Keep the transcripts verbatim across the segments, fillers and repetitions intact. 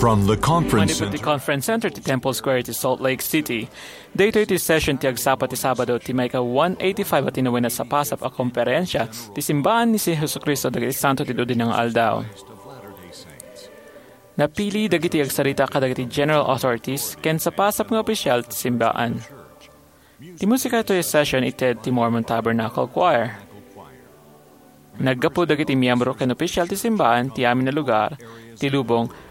From the conference Manipud ti center. Conference Center ti Temple Square ti Salt Lake City. Daytoy ti session ti agsapa ti Sabado ti maika one eighty-five a tinawen a sapasap a komperensia ti simbaan ni Jesu-Cristo dagiti Santo ti Dudinna nga Aldaw. Napili dagiti agsarita kadagiti general authorities ken sapasap nga opisyal ti simbaan. Ti musika itoy a session ited ti Mormon Tabernacle Choir. Naggapu dagiti miyembro ken opisyal ti simbaan ti amin a lugar ti lubong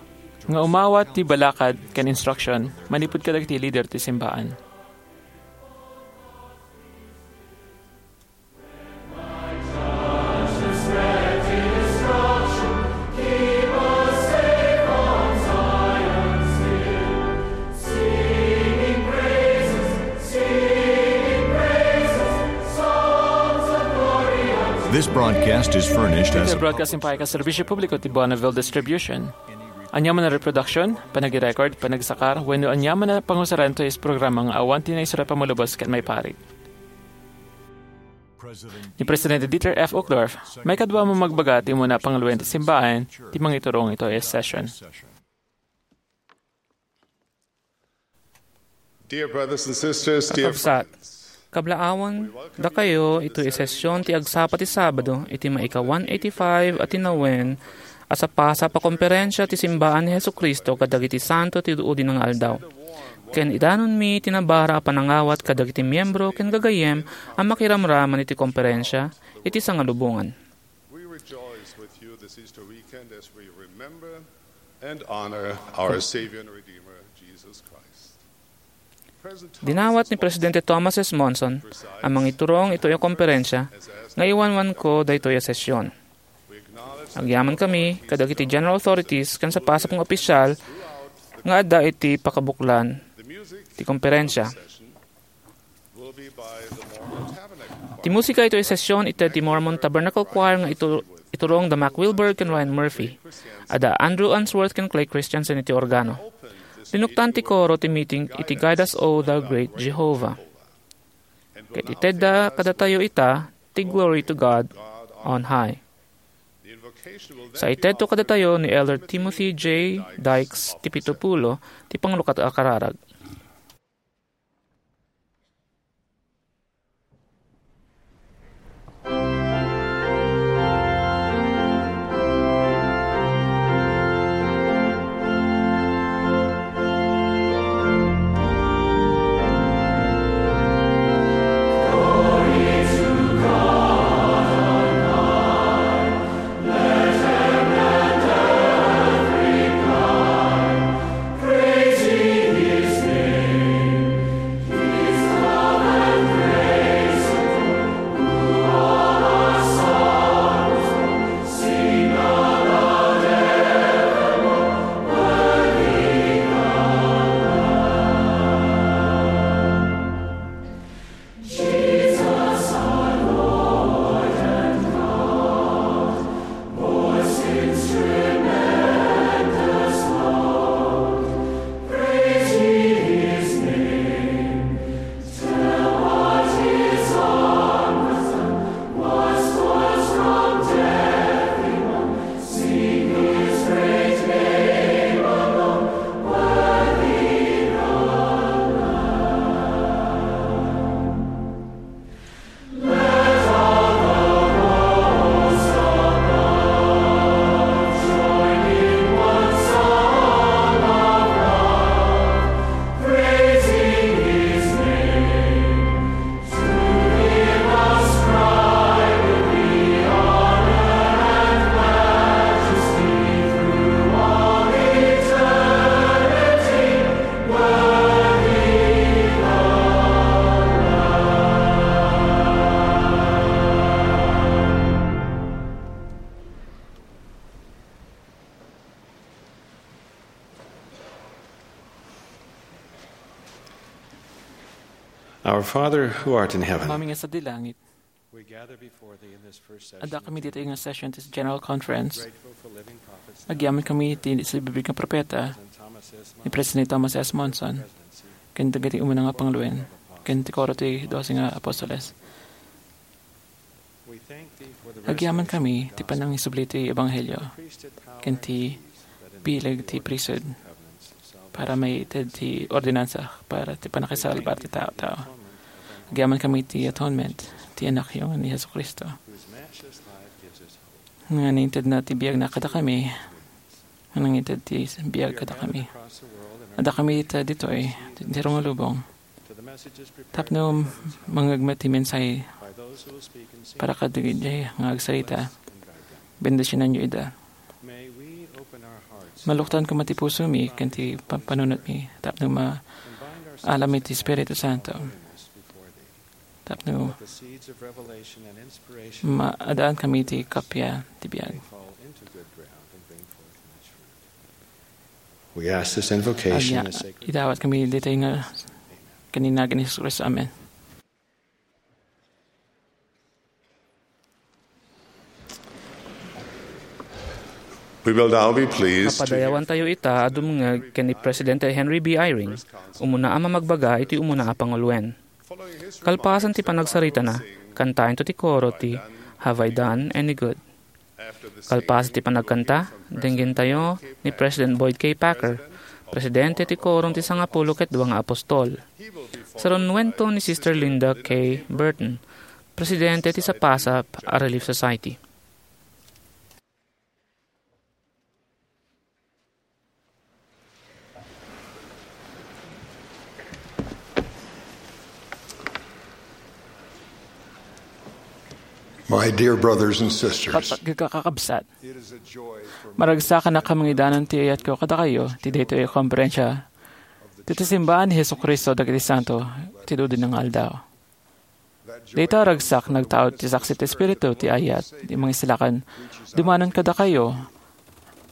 nga umawat ti balakad ken instruction manipud kadagiti leader ti simbaan. This broadcast is furnished as Iti broadcasting pay ka serbisyo publiko ti Bonneville Distribution. Aniaman a reproduction, panagi-record, panagsakar, wenno aniaman a pangusaran toy programa nga awan ti naisura pammalubos ket maiparit. Ni Presidente Dieter F. Uchtdorf, maikadua a magbaga ti umuna a pangaluen ti simbaan ti mangiturong itoy a session. Dear brothers and sisters, dear Kakabsat, friends, kablaawan dakayo itoy a session ti agsapa ti Sabado iti maika one eighty-five a tinawen a sapasap a komperensia ti simbaan ni Jesu-Cristo kadagiti santo ti Dudinna nga Aldaw. Ken idanonmi ti nabara a panangawat kadagiti miyembro ken gagayyem a makiramraman iti komperensia iti sangalubongan. We rejoice with you this Easter weekend as we remember and honor our Savior and Redeemer, Jesus Christ. Dinawat ni Presidente Thomas S. Monson a mangiturong itoy a komperensia nga iwanwanko daytoy a session. Agyamankami kadagiti general authorities ken sapasap nga opisyal nga adda iti pakabuklan ti komperensia. Ti musika itoy a session ited ti Mormon Tabernacle Choir nga itu-, iturong da Mac Wilberg ken Ryan Murphy. Adda Andrew Unsworth ken Clay Christensen iti organo. Linuktan ti koro ti meeting iti Guide Us, O Thou Great Jehovah. Ket itedda kadatayo ita ti Glory to God on High. Sa itedto kadatayo ni Elder Timothy J. Dykes ti pito pulo ti panglukat a kararag. Our Father who art in heaven, Amami nga sadi langit, we gather before thee in this first session. Adda kami ditoy nga session ti General Conference. Grateful for living prophets. Agyaman kami ti nagsibibig nga propeta, President Thomas S. Monson, ni President Thomas S. Monson, ken dagiti umuna nga pangluen, ken ti koro ti Doce nga Apostoles. Agyaman kami ti panangisubli ti Ebanghelio ken ti bileg ti priesthood para maited ti ordinansa para ti panakisalbar ti tao-tao. Agyaman kami ti atonement ti Anakyo nga ni Jesu-Cristo, nga nangitedna ti biagna kadakami, nga nangited ti biag kadakami. Adda kami ita ditoy, ti rungulubong, tapno mangngegna ti mensahe para kadagiti nga agsarita. Bendisionanyo ida. Maluktan koma ti pusomi ken ti pa-, panunotmi tapno ma-, alami ti Espiritu Santo. Tapno maadaan kami ti kappia ti biag. We ask this invocation Agya, in the sacred idawat kami ditoy nga ken ni Jesu-Cristo. Amen. We will now be pleased to hear Padayawantayo ita a dumngeg ken ni Presidente Henry B. Eyring, umuna a mamagbaga iti umuna a panguloen. Kalpasan ti panagsaritana, kantaentayo ti koro ti "Have I Done Any Good?" Kalpasan ti panagkanta, denggentayo ni President Boyd K. Packer, Presidente ti Korom ti Sangapulo ket Dua nga Apostol. Sarunnuento ni Sister Linda K. Burton, Presidente ti Sapasap a Relief Society. My dear brothers and sisters, Kakabsat, it is a joy for me maragsakan a kamangidanan ti ayatko kadakayo ti daytoy a komperensia ti, ti simbaan ni Jesu-Cristo dagiti santo ti dudina nga aldaw. Dayta a ragsak nagtaud ti saksi ti Espiritu ti ayat ti Mangisalakan dumanon kadakayo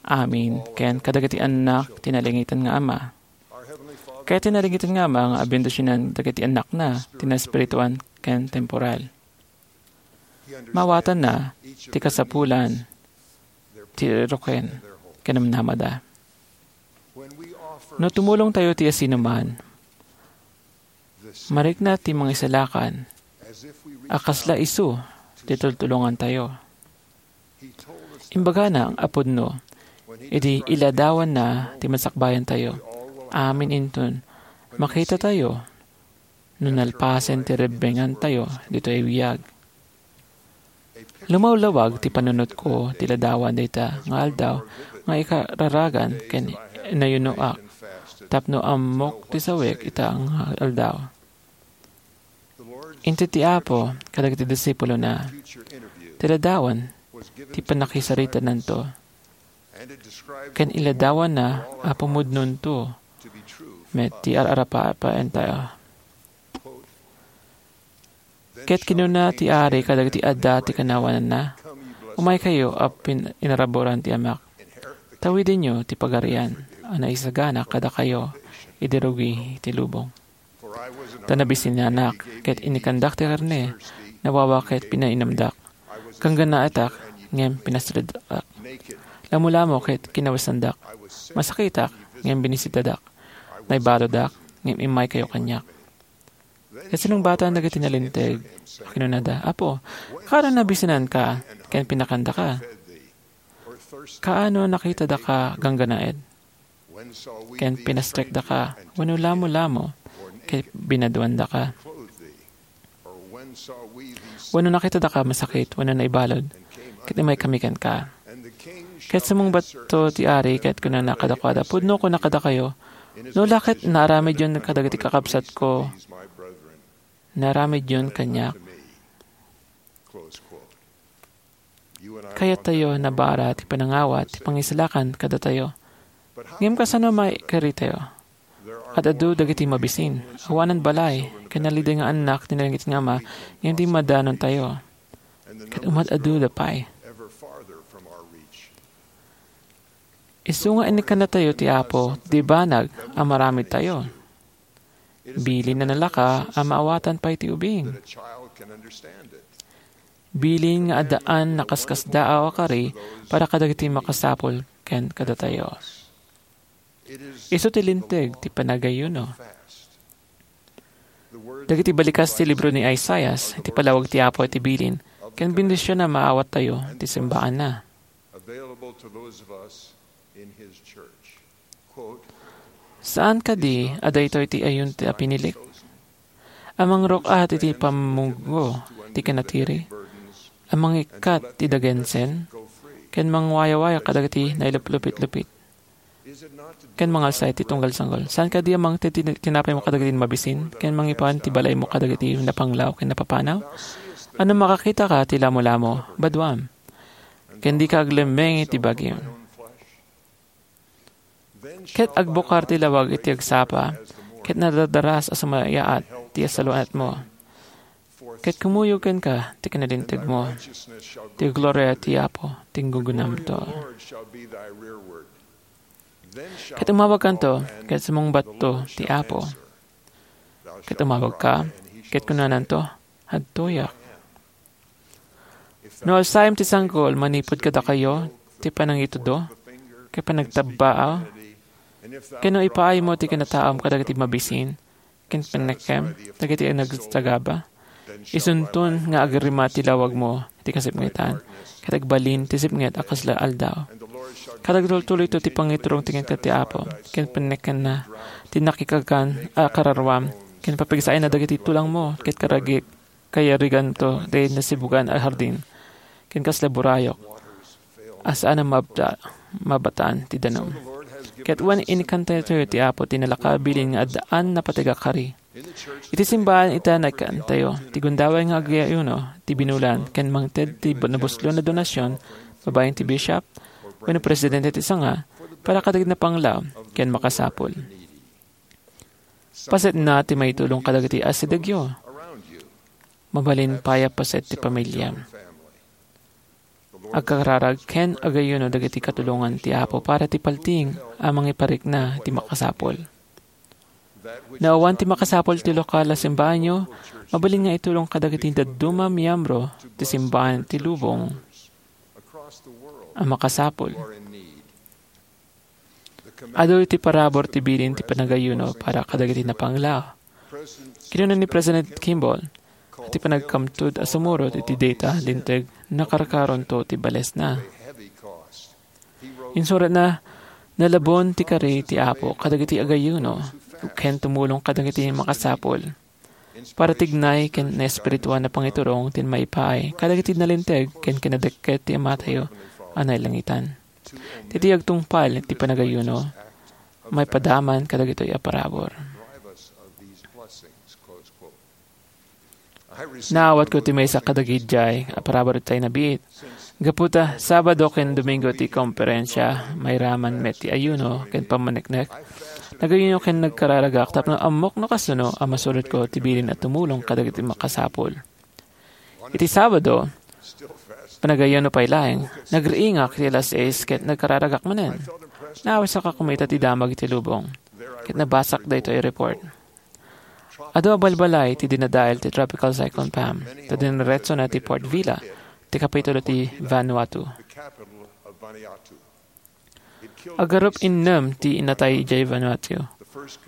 amin ken kadagiti annak ti nalingitan nga Ama. Ket ti nalingitan nga Ama nga abendisionan dagiti annakna ti naespirituan ken temporal. Maawatanna ti kasapulan ti ruken ken namnamada. No tumulongtayo ti asinoman, marikna ti Mangisalakan a kasla isu ti tultulongantayo. Imbagana a pudno idi iladawanna ti masakbayantayo. Amin inton makitatayo no nalpasen ti rebbengantayo ditoy biag. Lumawlawag ti panunotko ti ladawan dayta nga aldaw nga ikararagan ken inayunoak tapno ammok ti sawek ita nga aldaw. Inted ti Apo kadagiti disipulona ti ladawan ti pannakisaritananto. Ken iladawanna a pumudnonto met ti ar-arapapaentayo. Ket kinuna ti ari kadagiti adda ti kanawananna, "Umaykayo a pin-, inaraburan ti Amak. Tawidenyo ti pagarian a naisagana kadakayo idi rugi ti lubong." Ta nabisinanak, ket inikandak ti karne, nawawa ket pinainumdak. Ganggannaetak, ngem pinastrekdak. Lamulamo ket kinawesandak. Masakitak, ngem binisitadak. Naibaludak, ngem immaykayo kaniak. Ket sinungbatan dagiti nalinteg, kinunada, "Apo, kaano nabisinanka, ken pinakandaka? Kaano nakitadaka ganggannaed?" Ken pinastrekdaka, wenno lamulamo, ket binaduandaka. Wenno nakitadaka masakit, wenno naibalud, ket immaykami kenka. Ket sumungbatto ti ari, ket kunana kadakuada, "Pudno kunak kadakayo, no la ket naaramidyon kadagiti kakabsatko, naaramidyon kaniak." Kayattayo nabara ti panangawat ti pangisalakan kadatayo. Ngem kasano maikaritayo? Ad-adu dagiti mabisin, awanan balay, ken nalideng nga annak ti nalingit nga Ama, ngem di madanontayo. Ket umad-aduda pay. Isu nga inikannatayo ti Apo, di banag a maramidtayo. Bilin a nalaka a maawatan pay ti ubing. Bilin nga addaan nakaskasdaaw a kari para kadagiti makasapul ken kadatayo. Isu ti linteg ti panagayuno. Dagiti balikas ti libro ni Isaias, iti palawag ti Apo iti bilin, ken bendision a maawattayo ti simbaanna. Available to those of us Saan kadi a daytoy ti ayun ti a pinilik? A mangruk-at iti pammuggo ti kinatiri, a mangikkat ti dagensen, ken mangwayawaya kadagiti nailuplupit-lupit, ken mangalsa iti tunggal sanggol. Saan kadi a mangted ti tinapaymo kadagiti mabisin, ken mangipan ti balaymo kadagiti napanglaw ken napapanaw? Ano makakitaka ti lamolamo, baduam, ken dika aglemmeng iti bagim? Ket agbukar ti lawag iti agsapa, ket nadardaras a sumayaat ti saluanatmo. Ket kumuyog kenka ti kinalintegmo, ti gloria ti Apo ti guggunamto. Ket umawagkanto, ket sumungbatto ti Apo. Ket umawagka, ket kunananto, "Adtoyak." No alsaem ti sanggol manipud kadakayo ti panangitudo ken panagtabbaa, ken no ipaaymo ti kinataam kadagiti mabisin ken pannekkem dagiti nagsagaba, isunton nga agrimat ti lawagmo iti kasipngetan, ket agbalin ti sipnget a kasla aldaw. Ket agtultuloyto ti pangiturong ti kenka ti Apo, ken pannekkenna ti nakikakan a kararuam, ken papigsaenna dagiti tulangmo, ket karagik kayariganto ti nasibugan a hardin, ken kasla burayok a saan a mabta-, mabatan ti danum. Ket wen, inikkantayo ti Apo ti nalaka a bilin nga addaan napateg a kari. Iti simbahan ita, naikkantayo ti gundaway nga agayuno ti binulan ken mangted ti nabuslon a donasion babaen ti bishop wenno presidente ti sanga para kadagiti napanglaw ken makasapul. Pasetna ti maitulong kadagiti asidegyo. Mabalin pay a paset ti pamiliam. Agkararag ken agayuno dagiti katulongan ti Apo para ti paltiing a mangiparikna ti makasapul. No awan ti makasapul ti lokal a simbaanyo, mabalin nga itulong kadagiti dadduma a miyembro ti simbahan ti lubong a makasapul. Adu iti parabur ti bilin ti panagayuno para kadagiti napanglaw. Kinuna ni President Kimball, "Ti panagkamtud a sumurot iti dayta a linteg, nakarkaronto ti balesna." Insuratna, "Nalabon ti kari ti Apo kadagiti agayuno, ken tumulong kadagiti makasapul." Para ti gnay ken naespirituan a pangiturong ti maipaay kadagiti nalinteg ken kinadekket ti Amatayo a nailangitan. Ti, ti agtungpal ti panagayuno, maipadaman kadagitoy a parabur. Naawatko ti maysa kadagiti a parabur itay nabiit. Gapu ta Sabado ken Domingo ti komperensia, mairaman met ti ayuno ken pammaneknek. Nagayuno ken nagkararagak tapno ammok no kasano a masurotko ti bilin a tumulong kadagiti makasapul. Iti Sabado, panagayuno pay laeng, nagriingak iti alas sais ket nagkararagak manen. Naawisak a kumita ti damag iti lubong, ket nabasak daytoy a report. Adu a balbalay ti dinadael ti Tropical Cyclone Pam, ta diniretsona ti Port Vila, ti kapitulo ti Vanuatu. Agarup innem ti natay idiay Vanuatu.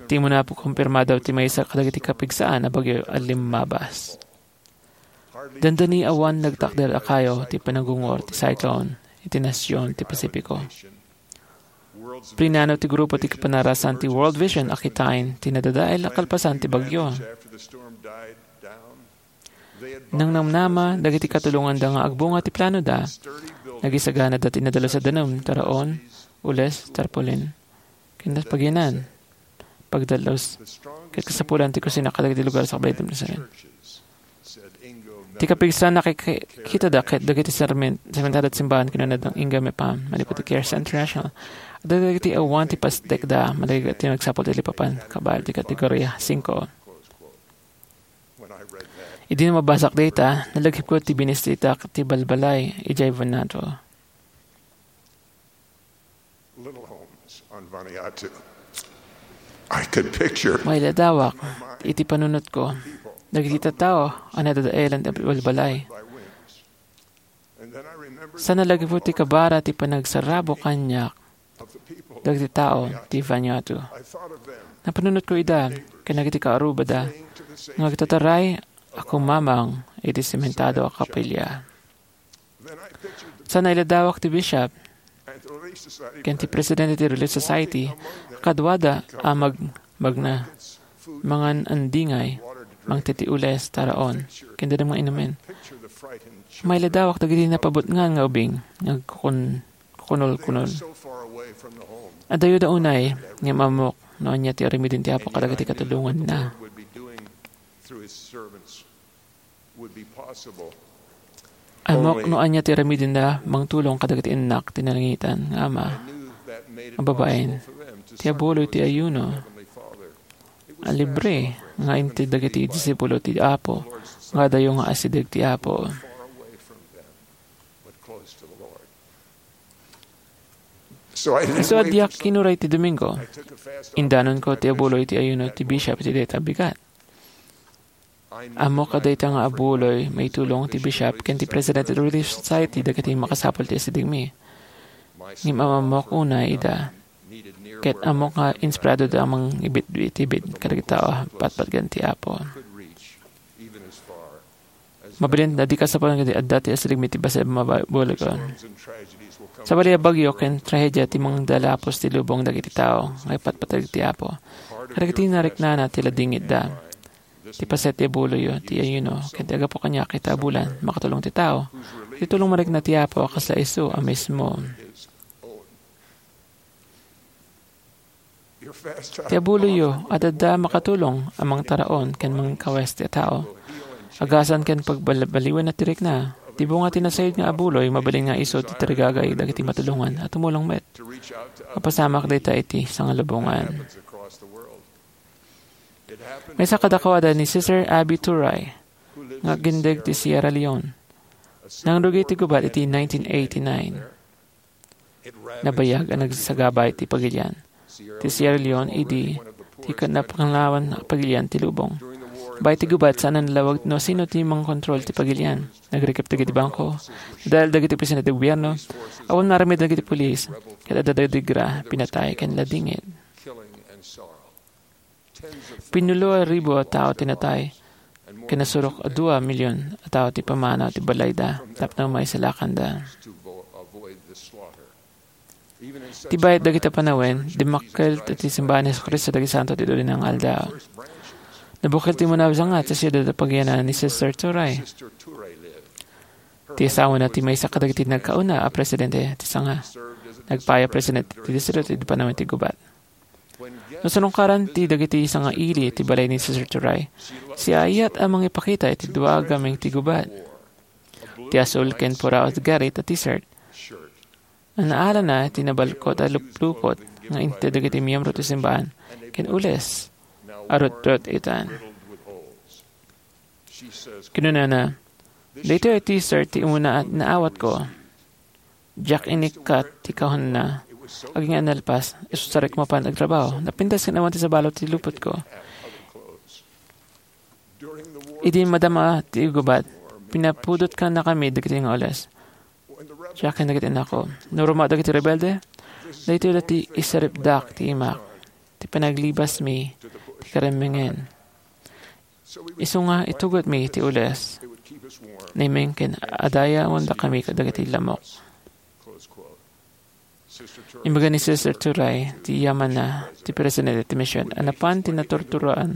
Ti umuna, kumpirmada ti maysa kadagiti kapigsaan a bagyo a limmabas. Dandani awan nagtakder a kayo ti panagungor ti cyclone iti nasion ti Pasifiko. Prinano ti grupo ti kapanarasan ti World Vision a kitaen ti nadadael a kalpasan ti bagyo. Nangnamnama dagiti katulonganda nga agbunga ti planoda, nagisaganada ti nadalus a danum, taraon, ules, tarpaulin, ken paginan, pagdalus, ket kasapulan ti kusina kadagiti lugar sakbay ti Ti kapigsaan, nakikkitada ket dagiti sermen-, sermentado ti simbahan, kinuna Inga Mepam, manipud ti Care International. Adda dagiti awan ti pasdekda, madagiti nagsapul ti lipapan, kabal ti kategoria singko. Idi mabasak dayta, nalagipko ti binisita ti balbalay idiay Vanuatu. Little homes on Vanuatu. I could picture Mailadawak iti panunotko dagiti tattao a nadadaelan ti balbalay. Sa nalagipko ti kabara ti panagsarrabo kaniak dagiti tao ti Vanuatu. Napanunotko ida ken dagiti kaarrubada nga agtataray a kumamang iti sementado a kapilya. Sa nailadawak ti bishop, ken ti presidente ti Relief Society, kaduada a mag-, magna, mangan andingay, mangted ti ules, taraon, ken dadam nga inumen. Mailadawak dagiti napabutngan nga ubing nga agkukun-, kukunol-kunol. Adayoda unay, ngem ammok no ania ti aramiden ti Apo kadagiti katulonganna. Ammok no ania ti aramidenda mangtulong kadagiti innak ti nalangitan nga Ama, nga babaen, ti abuloy ti ayuno a libre nga inted dagiti disipulo ti Apo nga adayo nga asideg ti Apo. Isu a diak kinuray ti Domingo, indanonko ti abuloy ti ayuno ti bishop iti dayta a bigat. Ammok a dayta nga abuloy maitulong ti bishop ken ti president ti Relief Society dagiti makasapul ti asidegmi. Ngem ammok unay ida, ket ammok nga inspiradoda a mangibitbitibid kadagiti tao a patpatgen ti Apo. Mabalin a di kasapulan ket adda ti asidegmi ti bassit a mababuligon. Sabali a bagyo ken trahedia ti mangdalapos ti lubong dagiti tao nga ipatpateg ti Apo. Kadagiti nariknana ti ladingitda. Ti paset ti abuloyo, ti ayuno, ken ti aggapu kaniak ita a bulan, makatulong ti tao. Ti tulong marikna ti Apo a kasla isu a mismo. Ti abuloyo, adda makatulong a mangtaraon ken mangkawes ti tao. Agasan ken pagbalbaliwen ti rikna, ti bunga ti nasayod nga abuloy, mabalin nga isu ti tarigagay dagiti matulongan a tumulong met. Mapasamak dayta iti sangalubongan. Maysa kadakuada ni Sister Abby Turay, nga agindeg ti Sierra Leone. Nangrugi ti gubat iti nineteen eighty-nine. Nabayag a nagsagaba ti pagilian. Ti Sierra Leone idi ti napanglawan a pagilian ti lubong. Baet ti gubat, saan a nalawag no sino ti mangkontrol ti pagilian. Nagrikep dagiti bangko, nadal dagiti opisina ti gobierno, awan maaramid dagiti pulis, ket adda dagiti gra, pinatay, ken ladingit. Pinulo a ribu a tao ti natay, ken nasurok a dua a milion a tao ti pamanaw ti balayda tapno maisalakanda. Ti bayat dagiti panawen, dimmakkel ti simbahan ni Jesu-Cristo dagiti Santo ti Dudi nga Aldaw. Nabukel ti umuna a sanga ti siudad a pagiyanan ni Sister Turay. Ti asawana ti maysa kadagiti nagkauna a presidente ti sanga. Nagpaay a presidente ti distrito ti panawen ti gubat. No sinungkaran ti dagiti sanga ili ti balay ni Sister Turay, siaayat a mangipakita iti dua a gameng ti gubat. Ti asul ken puraw a garit a t-shirt. Naalana ti nabalkot a luplupot nga inted dagiti miyembro ti simbahan ken ules a rutrut-itan. Kinunana, "Daytoy a t-shirt ti umuna a naawatko. Diak inikkat ti kahonna. Agingga a nalpas, isu sarek mapan agtrabaho. Napintas ken awan ti sabali ti lupotko. Idi madama ti gubat, pinapudot kannakami dagiti nga ules." Diak ken dagiti annakko. No ruma dagiti rebelde, daytoy la ti isaripdak ti imak, ti panaglibasmi ti karemengen. Isu nga itugotmi ti ules, naimeng ken adayawendakami kadagiti lamok. Imbaga ni Sister Turay, ti yamanna, ti presidente ti mision, a napan ti naturturan,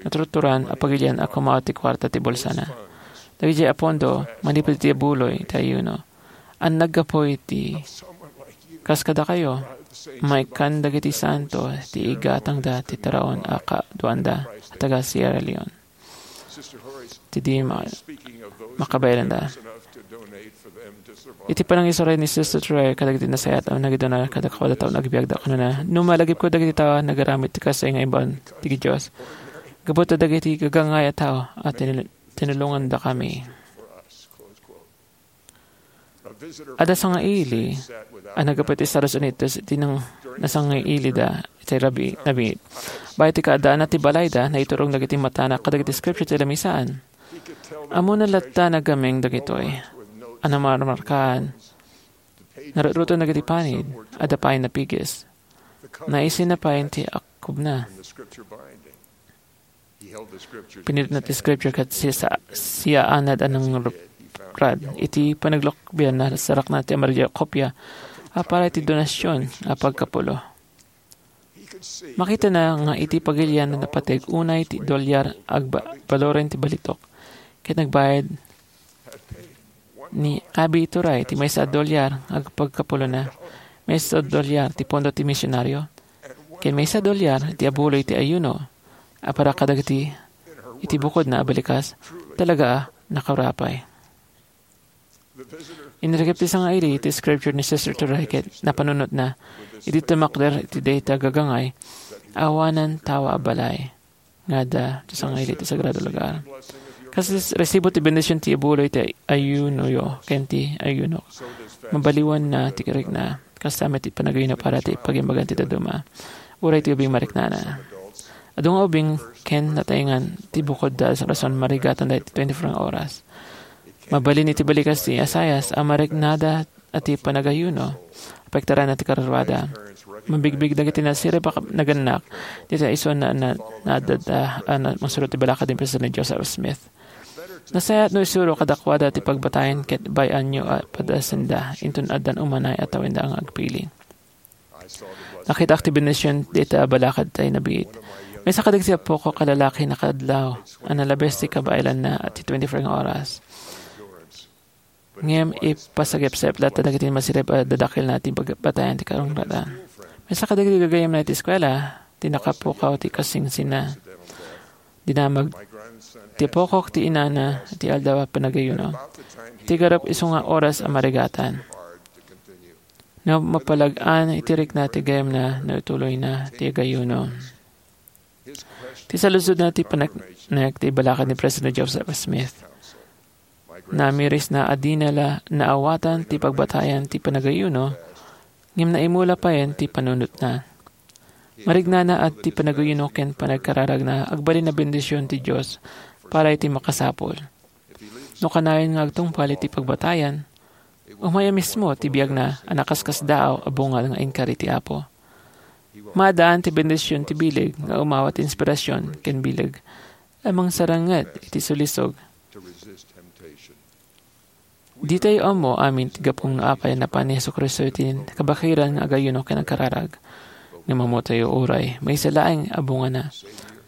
naturturan a pagilian a kumaw ti kuarta ti bulsana. Dagiti a pondo, manipud iti abuloy ti ayuno. An naggapu iti kas kadakayo, maikkan dagiti santo ti igatangda ti taraon a kaduanda a taga Sierra Leone. Ti di ma-, makabaelanda. Iti panangisuray ni Sister Turay kadagiti nasayaat a nagidona kadakuada taon agbiagda, kunana, "No malagipko dagiti tao a nagaramid ti kasay nga imbaon ti Dios, gapu ta dagiti gagangay a tao a tinul-, tinulongandakami." Adda sangaili a naggapu iti Estados Unidos iti nang-, nasangailida iti rabii, nabiit. Baet ti kaaddaanna ti balayda, naiturong dagiti matana kadagiti scripture ti lamisaan. Ammona latta a nagameng dagitoy a namarmarkaan. Narutruton dagiti panid, adda pay napigis. Naisina pay ti akkubna. Pinirutna ti scripture ket siya-, siyaanad a nangrupad. Iti panaglukbian, nasarakna ti amarillo a kopia a para iti donasion a pagkapulo. Makitana nga iti pagilian a napateg unay ti dolyar agbaloren ti balitok, ket nagbayad ni Abi Turay ti maysa a dolyar agpagkapulona, maysa a dolyar ti pondo ti misionario, ken maysa a dolyar ti abuloy ti ayuno a para kadagiti iti bukodna a balikas. Talaga a nakarapay. Inirikip ti sangaili ti scripture ni Sister Turay ket napanunotna iti tumakder iti dayta gagangay awanan tawa a balay nga adda ti sangaili ti sagrado lugar. Kas resibo ti bendision ti ibuloy ti ayunoyo ken ti ayunok. Mabaliwanna ti rikna. Kasta met ti panagayuno para ti pagimbagan ti dadduma. Uray ti ubing mariknana. Adu nga ubing ken nataengan ti bukod da rason marigatan dayta twenty-four nga oras. Mabalin iti balikas ti asayas a mariknada a ti panagayuno, apektarana ti karuruada. Mabigbig dagiti nasirib a kap-, nagannak, dita isu na, na, naadda, ah, na, mangsurot ti balakad ni President Joseph Smith. Nasayaat no isuro kadakuada ti pagbatayan ket bay-anyo a padasenda, inton addan umanay a tawenda nga agpili. Nakitak ti bendision dita a balakad tay nabiit. Maysa kadagiti apok a lalaki nakaadlaw a nalabes ti kabaelanna a ti twenty-four nga oras. Ngem ipasagepsep latta dagiti masirib a dadakkelna ti bag-, batayan ti karungratan. Maysa kadagiti gagayyemna iti eskuela, ti nakapukaw ti kasingsinna. Dinamag ti apokok ti inana iti aldaw a panagayuno. Iti garup isu nga oras a marigatan. No mapalag-an iti rikna ti gayamna no ituloyna ti agayuno. Ti saludsodna ti paneknek ti balakad ni President Joseph Smith. Namirisna a dina la naawatan ti pagbatayan ti panagayuno, ngem naimula payen ti panunotna. Marignana a ti panagayuno ken panagkararagna agbalin a bendision ti Dios para iti makasapul. No kanayon nga agtungpal iti pagbatayan, umay a mismo ti biagna a nakaskasdaaw a bungad nga inkari ti Apo. Maadaan ti bendision ti bileg nga umawa ti inspirasion ken bileg a mangsaranget iti sulisog. Ditayo ammo amin ti gapu no apay a napan ni Jesu-Cristo iti kabakiran nga agayuno ken agkararag. Ngem ammotayo uray, maysa laeng a bungana.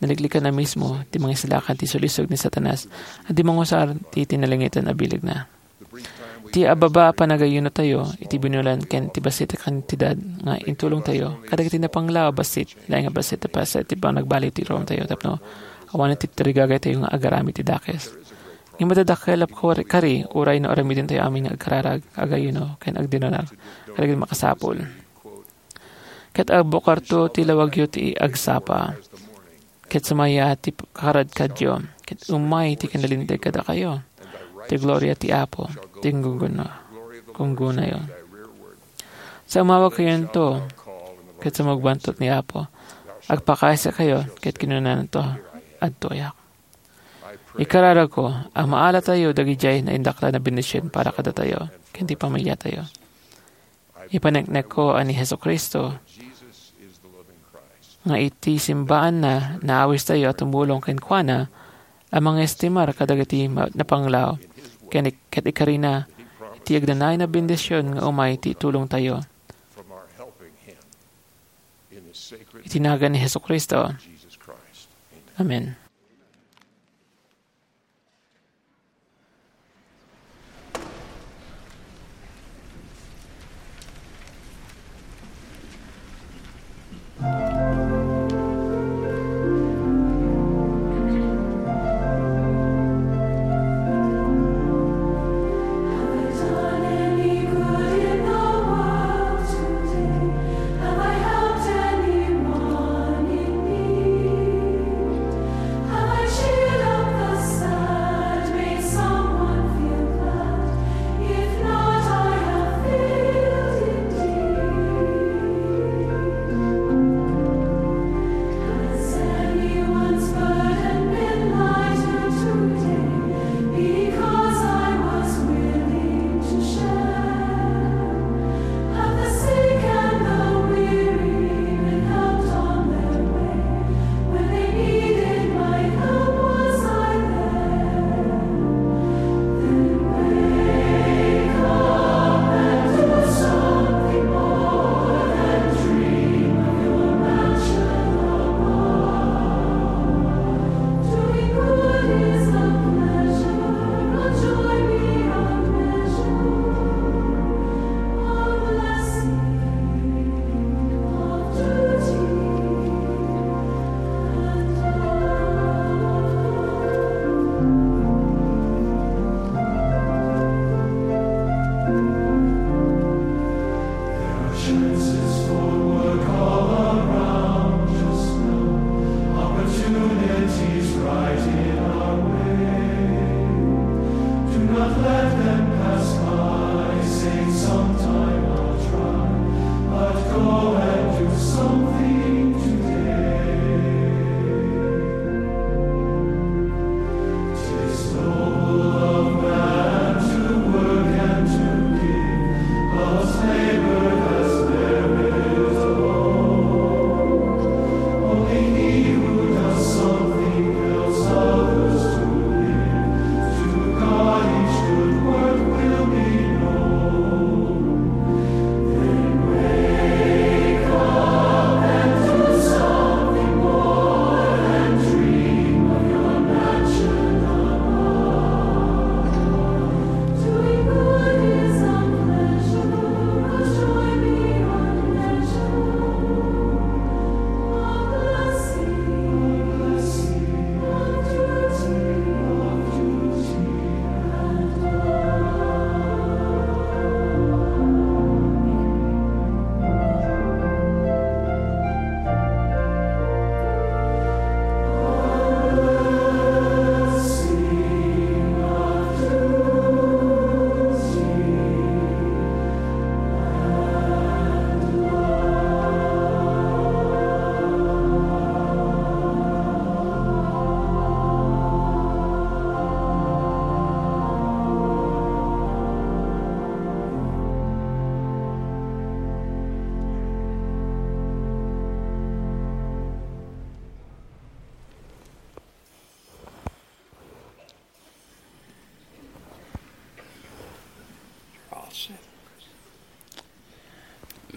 Naliklikanna mismo ti mangisalakan ti sulisog ni Satanas a di mangusar ti tinalengetan a bilegna. Ti ababa a panagayunotayo iti binulan ken ti bassit a kantidad nga intulongtayo kadagiti napanglaw a bassit, laeng a bassit a pasa iti panagbaliw ti ruamtayo tapno awanen ti tarigagaytayo nga agaramid ti dakes. Ngem madadakkel a kari, kari, uray no aramidentayo amin nga agkararag, agayuno, ken agdinonar kadagiti makasapul. Ket agbukarto ti lawagyo ti agsapa. Ket sumaya ti karadkadyo, ket umay ti kinalinteg kadakayo. Ti gloria ti Apo, ti gungguno-, gunggunayo. Sa umawagkayonto, ket sumugbanto ni Apo, agpakaysakayo, ket kinunanto, "Adtoyak." Ikararagko a maalatayo dagidiay naindaklan a bendision para kadatayo ken ti pamiliatayo. Ipaneknekko a ni Jesu-Cristo nga iti simbaanna, naawistayo a tumulong kenkuana a mangestimar kadagiti ma-, napanglaw ken ik-, ket ikarina iti agnanayon a bendision nga umay ti tulongtayo. Iti nagan ni Jesu-Cristo. Amen.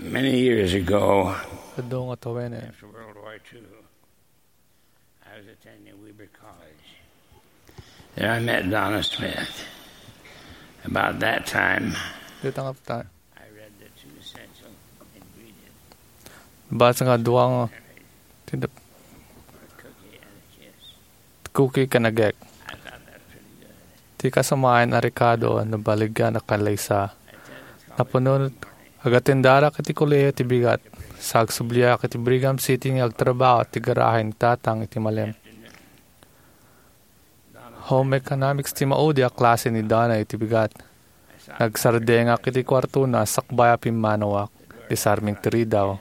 Many years ago, Adu nga tawen, eh. After World War Two, I was attending Weber College. There I met Donna Smith. About that time, Dita nga ta-, I read the two essential ingredients basa nga dua nga tindap-, for cookie and a kiss. Cookie ken agek. I thought that's pretty good. Ti kasamaen a rekado a nabaligyan a kalaysa. Napunot, agatendarak iti kolehio ti bigat. Sa agsubliak iti Brigham City nga agtrabaho ti garahe ni tatang iti malem. Home economics ti maudi a klase ni Donna iti bigat. Nagsardengak iti kuartona sakbay a pimmanawak. Disarming ti ridaw.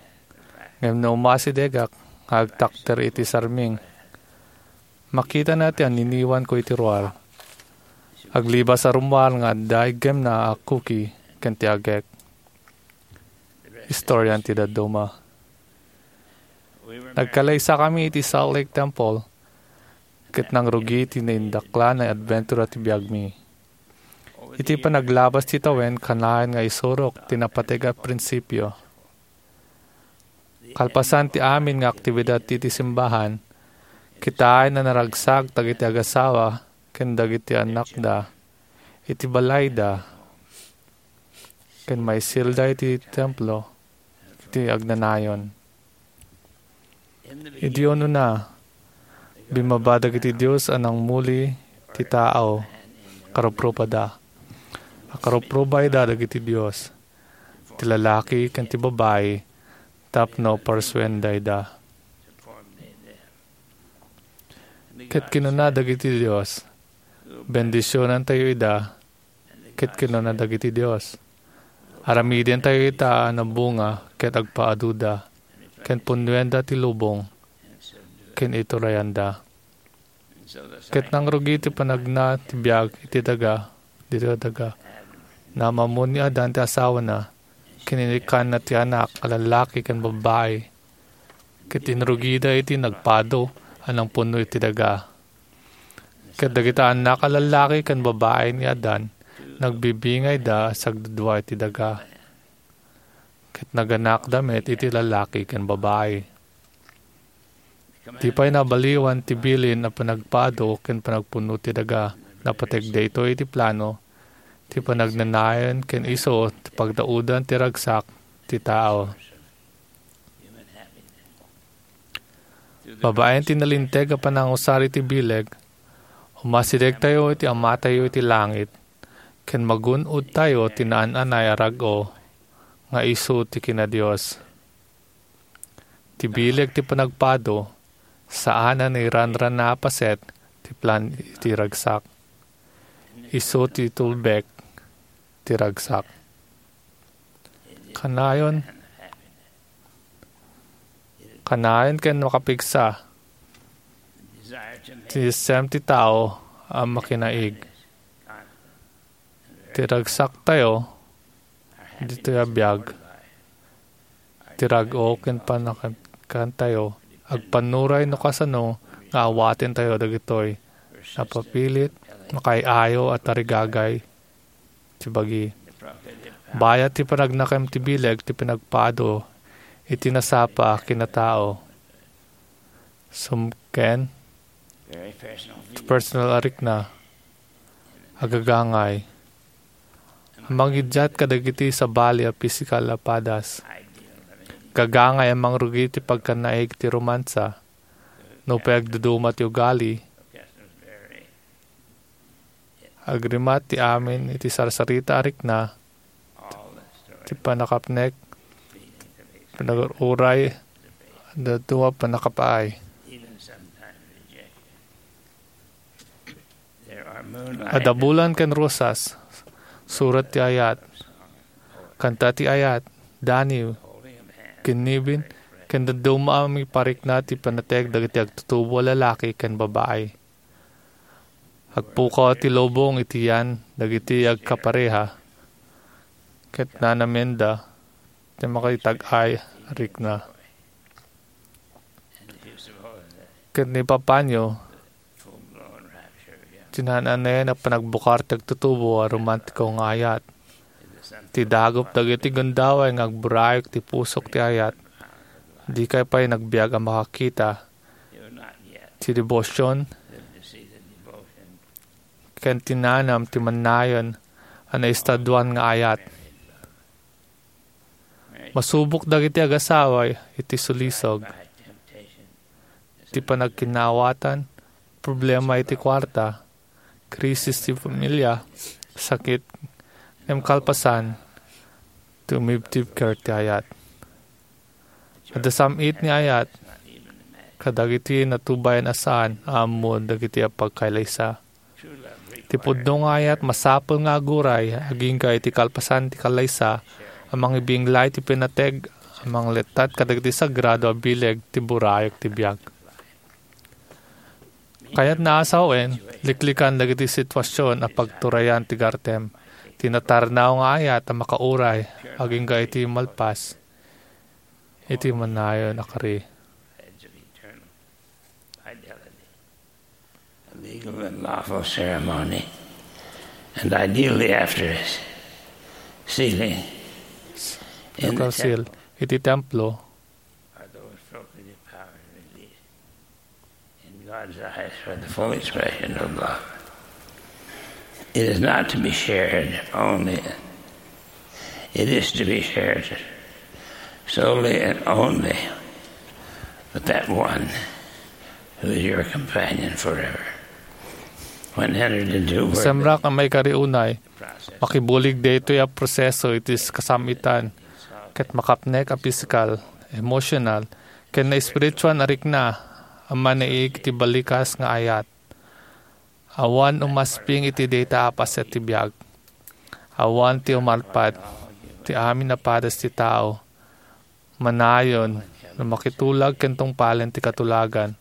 Ngem no umasidegak, nga agtakder iti sarming, makitana ti anniniwanko iti ruar. Aglibas a rummuar nga adda iggemna a cookie ken ti agek. Istorian ti dadduma. Nagkalaysakami iti Salt Lake Temple, ket nangrugi ti naindaklan a adventure ti biagmi. Iti panaglabas ti tawen, kanayon nga isurok ti napateg a prinsipio. Kalpasan ti amin nga aktibidad iti simbahan, kitaen a naragsak dagiti agasawa ken dagiti annakda iti balayda ken maisilda iti templo iti agnanayon. Idi unona, bimmaba dagiti dios a nangmuli ti tao, karuprupada. Akaruprubayda dagiti dios, ti lalaki ken ti babai, tapno parsuendayda. Ket kinuna dagiti dios, "Bendisionantayo ida," ket kinuna dagiti dios, "Aramidentayo ita a nabunga ket agpaaduda, ken punnuenda ti lubong, ken iturayanda." Ket nangrugi ti panagna ti biag iti daga, dita daga. Naam-ammon ni Adan ti asawana, ken inikkanna ti anak a lallaki ken babbai. Ket inrugida iti nagpado a nangpunno iti daga. Ket dagita annak a lallaki ken babbai ni Adan, nagbibingayda a sagdudua iti daga. Ket naganakda met iti lallaki ken babbai. Di pay nabaliwan ti bilin a panagpado ken panagpunno ti daga. Napateg daytoy iti plano ti panagnanayon ken isu ti pagdaudan ti ragsak ti tao. Babaen ti nalinteg a panangusar iti bileg, umasidegtayo iti Amatayo iti langit, ken magun-odtayo ti naan-anay a rag-o nga isu ti kinadios. Ti bileg ti panagpado, saan a nairanrana a paset ti plan iti ragsak. Isu ti tulbek ti ragsak. Kanayon, kanayon ken makapigsa ti isem ti tao a makinaig. Ti ragsaktayo ditoy a biag, ti rag-o ken panakantayo, agpannuray no kasano nga awatentayo dagitoy napapilit, makaay-ayo a tarigagay ti bagi. Bayat ti panagnakem ti bileg ti pinagpado iti nasapa a kinatao. Sumken, ti personal a rikna, agagangay. Mangiddiat kadagiti sabali a pisikal a padas. Gagangay a mangrugi ti pagkanaig ti romansa. Nupay agduduma ti ugali, agrimat ti amin iti sarsarita a rikna, ti panakapnek, panag-uray, dadduma pannakapaay. Adda bulan ken rosas, surat ti ayat, kanta ti ayat, daniw, kinnibin, ken dadduma a maiparikna ti panateg dagiti agtutubo a lalaki ken babai. Agpukaw ti lubong iti yan dagiti agkapareha, ket nanamenda ti makitag-ay a rikna. Ket ni papanyo, ti naan-anayan a panagbukar ti agtutubo a romantiko nga ayat. Ti dagup dagiti gundaway nga agburayek ti pusok ti ayat. Dikay pay nagbiag a makakita ti debosion ken ti nanam ti mannayon a naestaduan nga ayat. Masubok dagiti agasawa iti sulisog, ti panagkinaawatan, problema iti kuarta, krisis ti pamilya, sakit, ngem kalpasan, ti umibtibker ti ayat. Adda sam-it ni ayat kadagiti natubayan a saan a ammo dagiti apagkailaysa. Ti pudno nga ayat masapul nga aguray agingga iti kalpasan ti kalaysa a mangibinglay ti pinateg a manglettat kadagiti sagrado a bileg ti burayek ti biag. Kayatna a sawen, liklikan dagiti situasion a pagturayan ti gartem, ti natarnaw nga ayat a makauray agingga iti malpas iti mannayon a kari. A legal and lawful ceremony, and ideally after it, sealing. In the Nakal seal iti templo. Are those appropriative powers released in God's eyes for the full expression of love? It is not to be shared only. It is to be shared solely and only with that one who is your companion forever. When entered into work, Semrak a maikariunay, makibulig daytoy a proseso iti kasam-itan ket makapnek a pisikal, emosyonal, ken naespirituan a rikna a manaig iti balikas nga ayat. Awan umasping iti dayta a paset ti biag. Awan ti umalpad ti amin a pares ti tao. Manayon no makitulag ken tungpalen ti katulagan,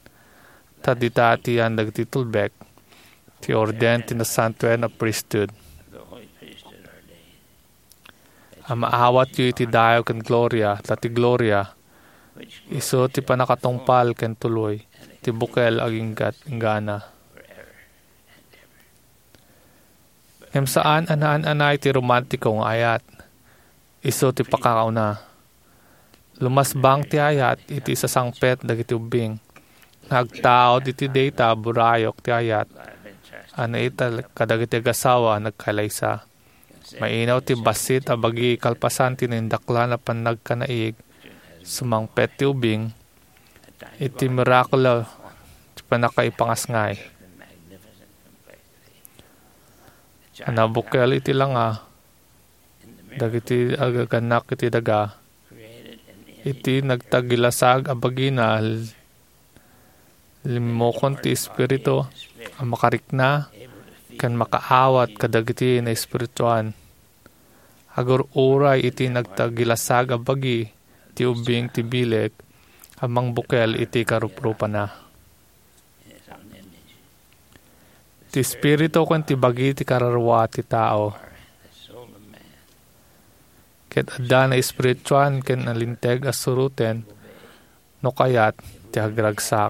ta dita atian dagiti tulbek, ti orden ti nasantoen a priesthood. A maawatyo iti dayaw ken gloria, ta ti gloria, isu ti pannakatungpal ken tuloy, ti bukel aginggat inggana. Ngem saan a naan-anay ti romantiko nga ayat. Isu ti pakakauna. Lumasbang ti ayat iti sasangpet dagiti ubbing. Nga agtaud iti dayta a burayok ti ayat a naitaed kadagiti agasawa a nagkalaysa. Mainaw ti bassit a bagi kalpasan ti naindaklan a pannagkanaig. Sumangpet ti ubbing iti mirakulo ti pannakaipangasngay. A nabukel iti langa dagiti agagannak iti daga, iti nagtagilasag a bagina, limmukon ti Espiritu a makarikna ken makaawat kadagiti naespirituan. Agur-uray iti nagtagilasag a bagi ti ubbing ti bileg a mangbukel iti karuprupana. Ti espiritu ken ti bagi ti kararua ti tao. Ket adda naespirituan ken nalinteg a suroten no kayat ti agragsak.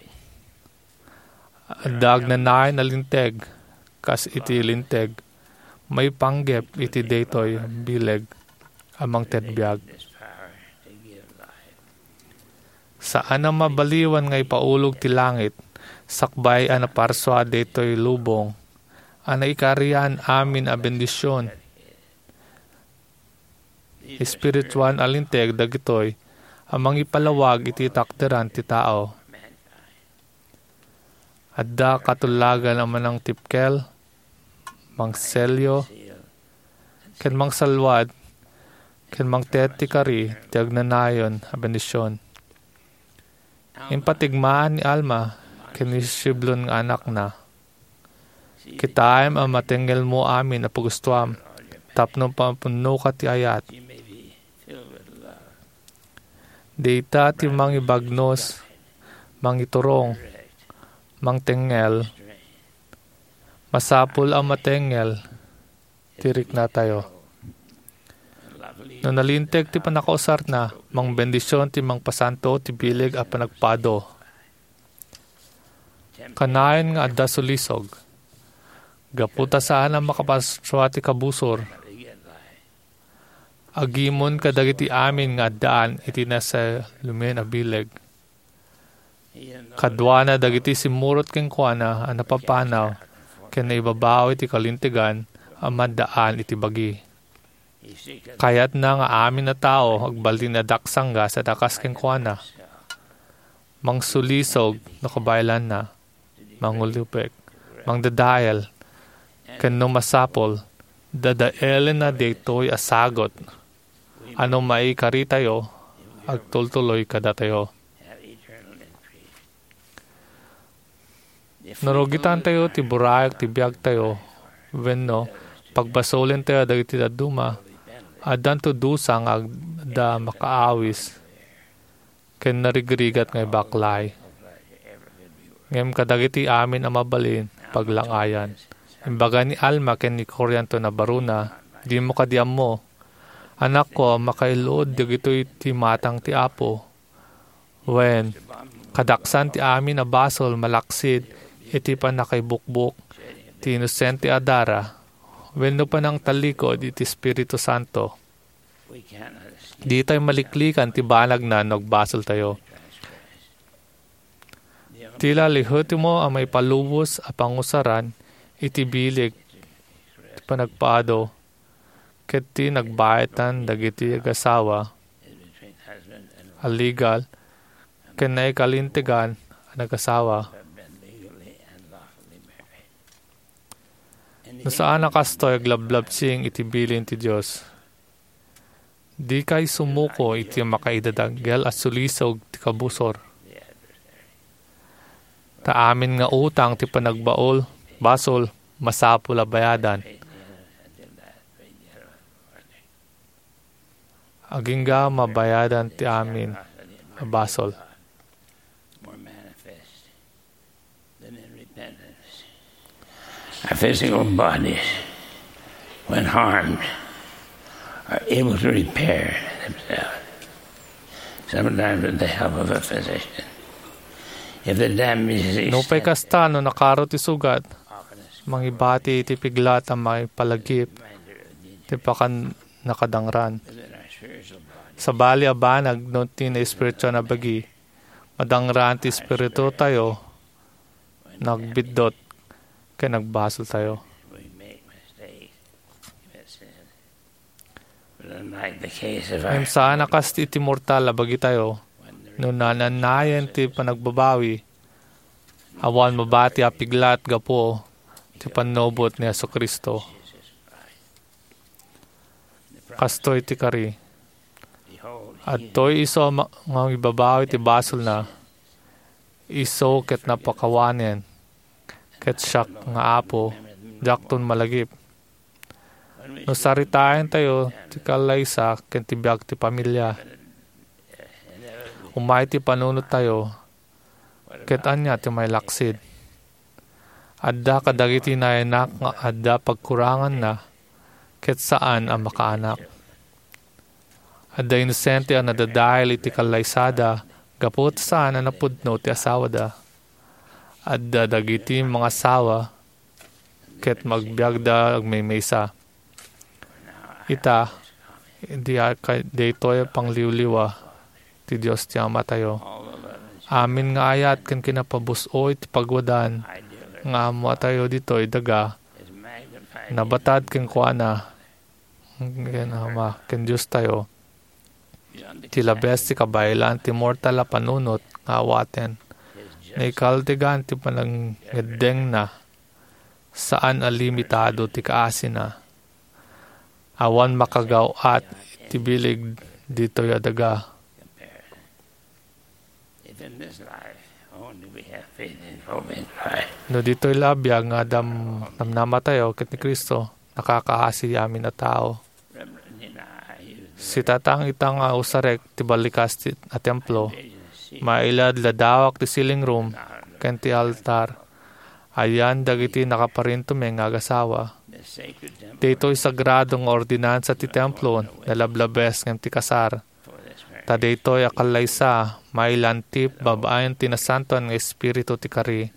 Adda agnanayon a linteg kas iti linteg maipanggep iti daytoy bileg a mangted biag. Saan a mabaliwan nga ipaulog ti langit sakbay a naparsua daytoy lubong a naikarian amin a bendision. Espirituan a linteg dagitoy a mangipalawag iti takderan ti tao. Adda katullagan a manangtipkel, mangselyo, ken mangsalwad, ken mangted ti kari ti agnanayon a bendision. Impatigmaan ni Alma ken ni Shiblon nga anakna. Kitaem a matengelmo amin a pagustuam tapno mapunnoka ti ayat. Dayta ti mangibagnos, mangiturong, mangtengngel. Masapul a matengngel ti riknatayo. No nalinteg ti pannakausarna, mangbendision ti mangpasanto ti bileg a panagpado. Kanayon nga adda sulisog. Gapu ta saan a makaparsua ti kabusor. agimon kadagiti amin nga addaan iti nasalumen a bileg. Kaduana dagiti simmurot kenkuana a napapanaw ken naibabaw iti kalintegan a maddaan iti bagi. Kayatna nga amin a tao agbalin a daksanggas a dakas kenkuana. Mangsulisog no kabaelanna, mangulupek, mangdadael, ken no masapul, dadaelenna daytoy a sagut a no maikaritayto, agtultuloy kadatayo. No rugitantayo ti burayag ti biagtayo wenno pagbasolentayo dagiti dadduma, addanto dusa nga adda makaawis ken narigrigat nga ibaklay. Ngem kadagiti amin a mabalin, paglangayan. Imbaga ni Alma ken ni Corianton a barona, "Dimo kadi ammo, anakko, a makailud dagitoy ti matang ti Apo. Wen, kadaksan ti amin a basol malaksid iti pannakaibukbok ti inosente a dara wenno panangtallikud iti Espiritu Santo. Ditay maliklikan ti banagna no agbasoltayo." Ti la lehitimmo a maipalubos a pangusaran iti bileg ti panagpaado ket ti nagbaetan dagiti agasawa a legal ken naikalintegan a nagasawa. No saan a kastoy, aglablabsing iti bilin ti Dios. Dikay sumuko iti makaidadakel a sulisog ti kabusor. Ta amin nga utang ti panagbaol, basol, masapul a bayadan. Agingga mabayadan ti amin a basol. Our physical bodies, when harmed, are able to repair themselves, sometimes with the help of a physician. If the damage is Nupay extensive, kasta, no nakaro ti sugat, often it's mangibati iti piglat a maipalagip ti pakannakadangran. Sabali a banag no ti naespirituan a bagi, madangran ti espiritutayo, nagbiddut, ken nagbasoltayo. Ngem saan a kas iti mortal a bagitayo, no naannayen ti panagbabawi, awan mabati a piglat gapu ti pannubot ni Jesu-Cristo. Kastoy ti kari. Adtoy isu a ma-, nga mangibabawi ti basolna, isu ket napakawanen, ket siak nga Apo, diakton malagip. No saritaentayo ti kallaysa ken ti biag ti pamilia, umay ti panunottayo, ket ania ti mailaksid? Adda kadagiti nayanak nga adda pagkuranganna ket saan a makaanak. Adda inosente a nadadael iti kallaysada gapu ta saan a napudno ti asawada. Adda dagiti mangasawa ket agbiagda agmaymaysa. Ita, di a-, kay daytoy a pangliwliwa ti Dios ti Amatayo. Amin nga ayat ken kinapabus-oy ti pagwadan nga ammotayo ditoy daga, nabatad kenkuana, ken Ama, ken Diostayo. Ti labes ti kabaelan ti mortal a panunot nga awaten. Naikaltegan ti panangngeddengna. Saan a limitado ti kaasina. Awan makagaw-at ti bileg ditoy a daga. If in this life only we have faith in hope in Christ. No ditoy la a biag nga adam-, namnamatayo ket ni Cristo, nakakaasi amin a tao. Sitatang ita nga usarek ti ballikas ti, a templo. Maila ladawak ti ceiling room ken ti altar. Ayan dagiti nakaparintumeng nga agasawa. Daytoy sagrado nga ordinansa ti templo, nalablabes ngem ti kasar. Ta daytoy a kallaysa, mailantip babaen ti Nasantoan nga Espiritu ti kari.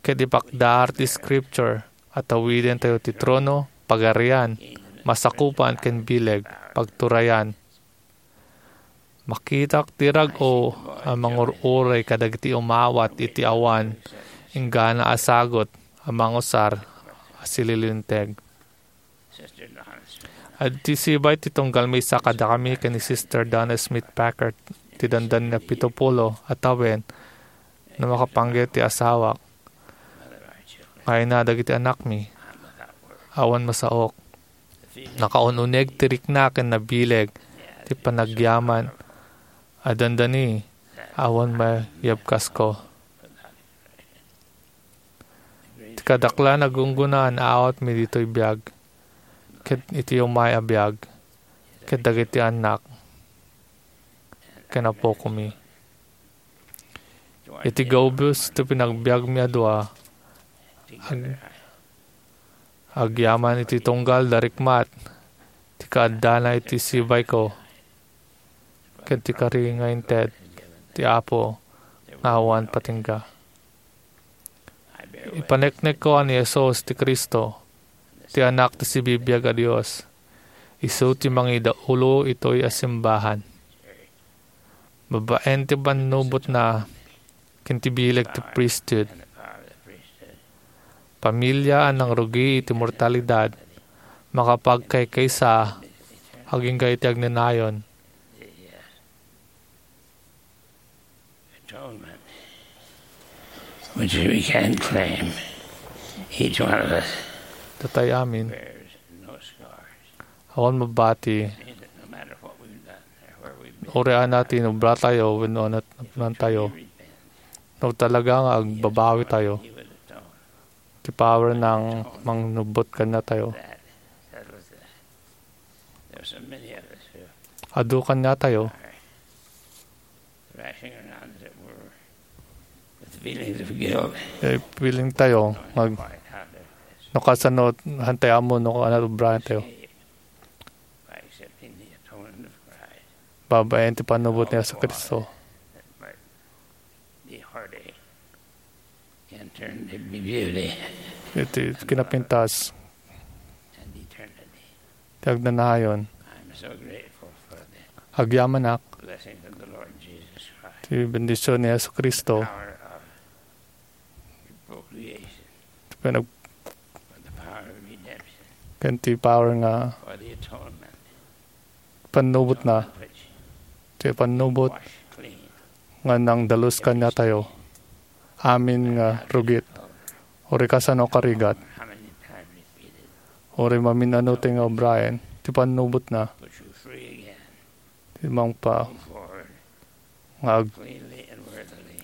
Ket ipakdar ti Scripture a tawidentayo ti trono, pagarian, masakupan ken bileg, pagturayan. Makitak ti rag-o a mangur-uray kadagiti umawat iti awan inggana a sagut a mangusar a sililinteg. Adda sibay ti tunggal maysa kadakami ken ni Sister Donna Smith Packer ti dandani a pito pulo a tawen no makapanggep ti asawak. Nga ina dagiti anakmi, awan masaok. Nakaun-uneg ti rikna ken nabileg ti panagyaman a dandani, awan mayabkasko. Ti kadaklan a gunggonaan a awatmi ditoy biag, ket iti umay a biag, ket dagiti annak, ken apokomi. Iti gaubos ti panagbiagmi a dua, ag-, agyaman iti tunggal da rikmat ti kaaddana iti sibayko, ket ti kari nga inted ti Apo nga awan patingga. Ipaneknekko a ni Jesus ti Cristo, ti Anak ti sibibiag a Dios. Isu ti mangidaulo itoy a simbahan. Babaen ti pannubotna ken ti bileg ti priesthood. Pamilia a nangrugi iti mortalidad, makapagkaykaysa agingga iti agnanayon. Atonement, which we can't claim, each one of us Datay amin, bears no scars. Awan mabati. Means that no matter what we've done or where we've been, Uri ana ti nubra tayo, wenno ana ti napnan tayo. We repent. No talaga nga agbabawi tayo, He would atone. Ti power nang mangnubot kaniatayo. That settles that. There's so many of us who Adu kaniatayo. Are thrashing around, as it were, with feelings of guilt. Eh, feeling tayo, mag-, Quite out of this no kasano, hantay amo, no, ano, obrahan tayo. By accepting the atonement of Christ. Babaen ti pannubot ni Jesu Cristo. That might be heartache. Can turn to be beauty. Iti kinapintas, And eternity. Ti agnanayon. I'm so grateful for the Agyamanak blessings of the Lord Jesus Christ. Ti bendisyon ni Jesu Cristo. Power of procreation. Ti panag- For the power of redemption. Ken ti power nga For the atonement. Pannubot na. Which Ti pannubot wash clean. Nga nangdalus kaniatayo. Amin nga rugit. Uri kasano karigat. How many times repeated. Uri mamin-ano ti nga obraen. Ti pannubot na. Put you free again. Ti mangpa. Move forward. Nga ag- Cleanly and worthily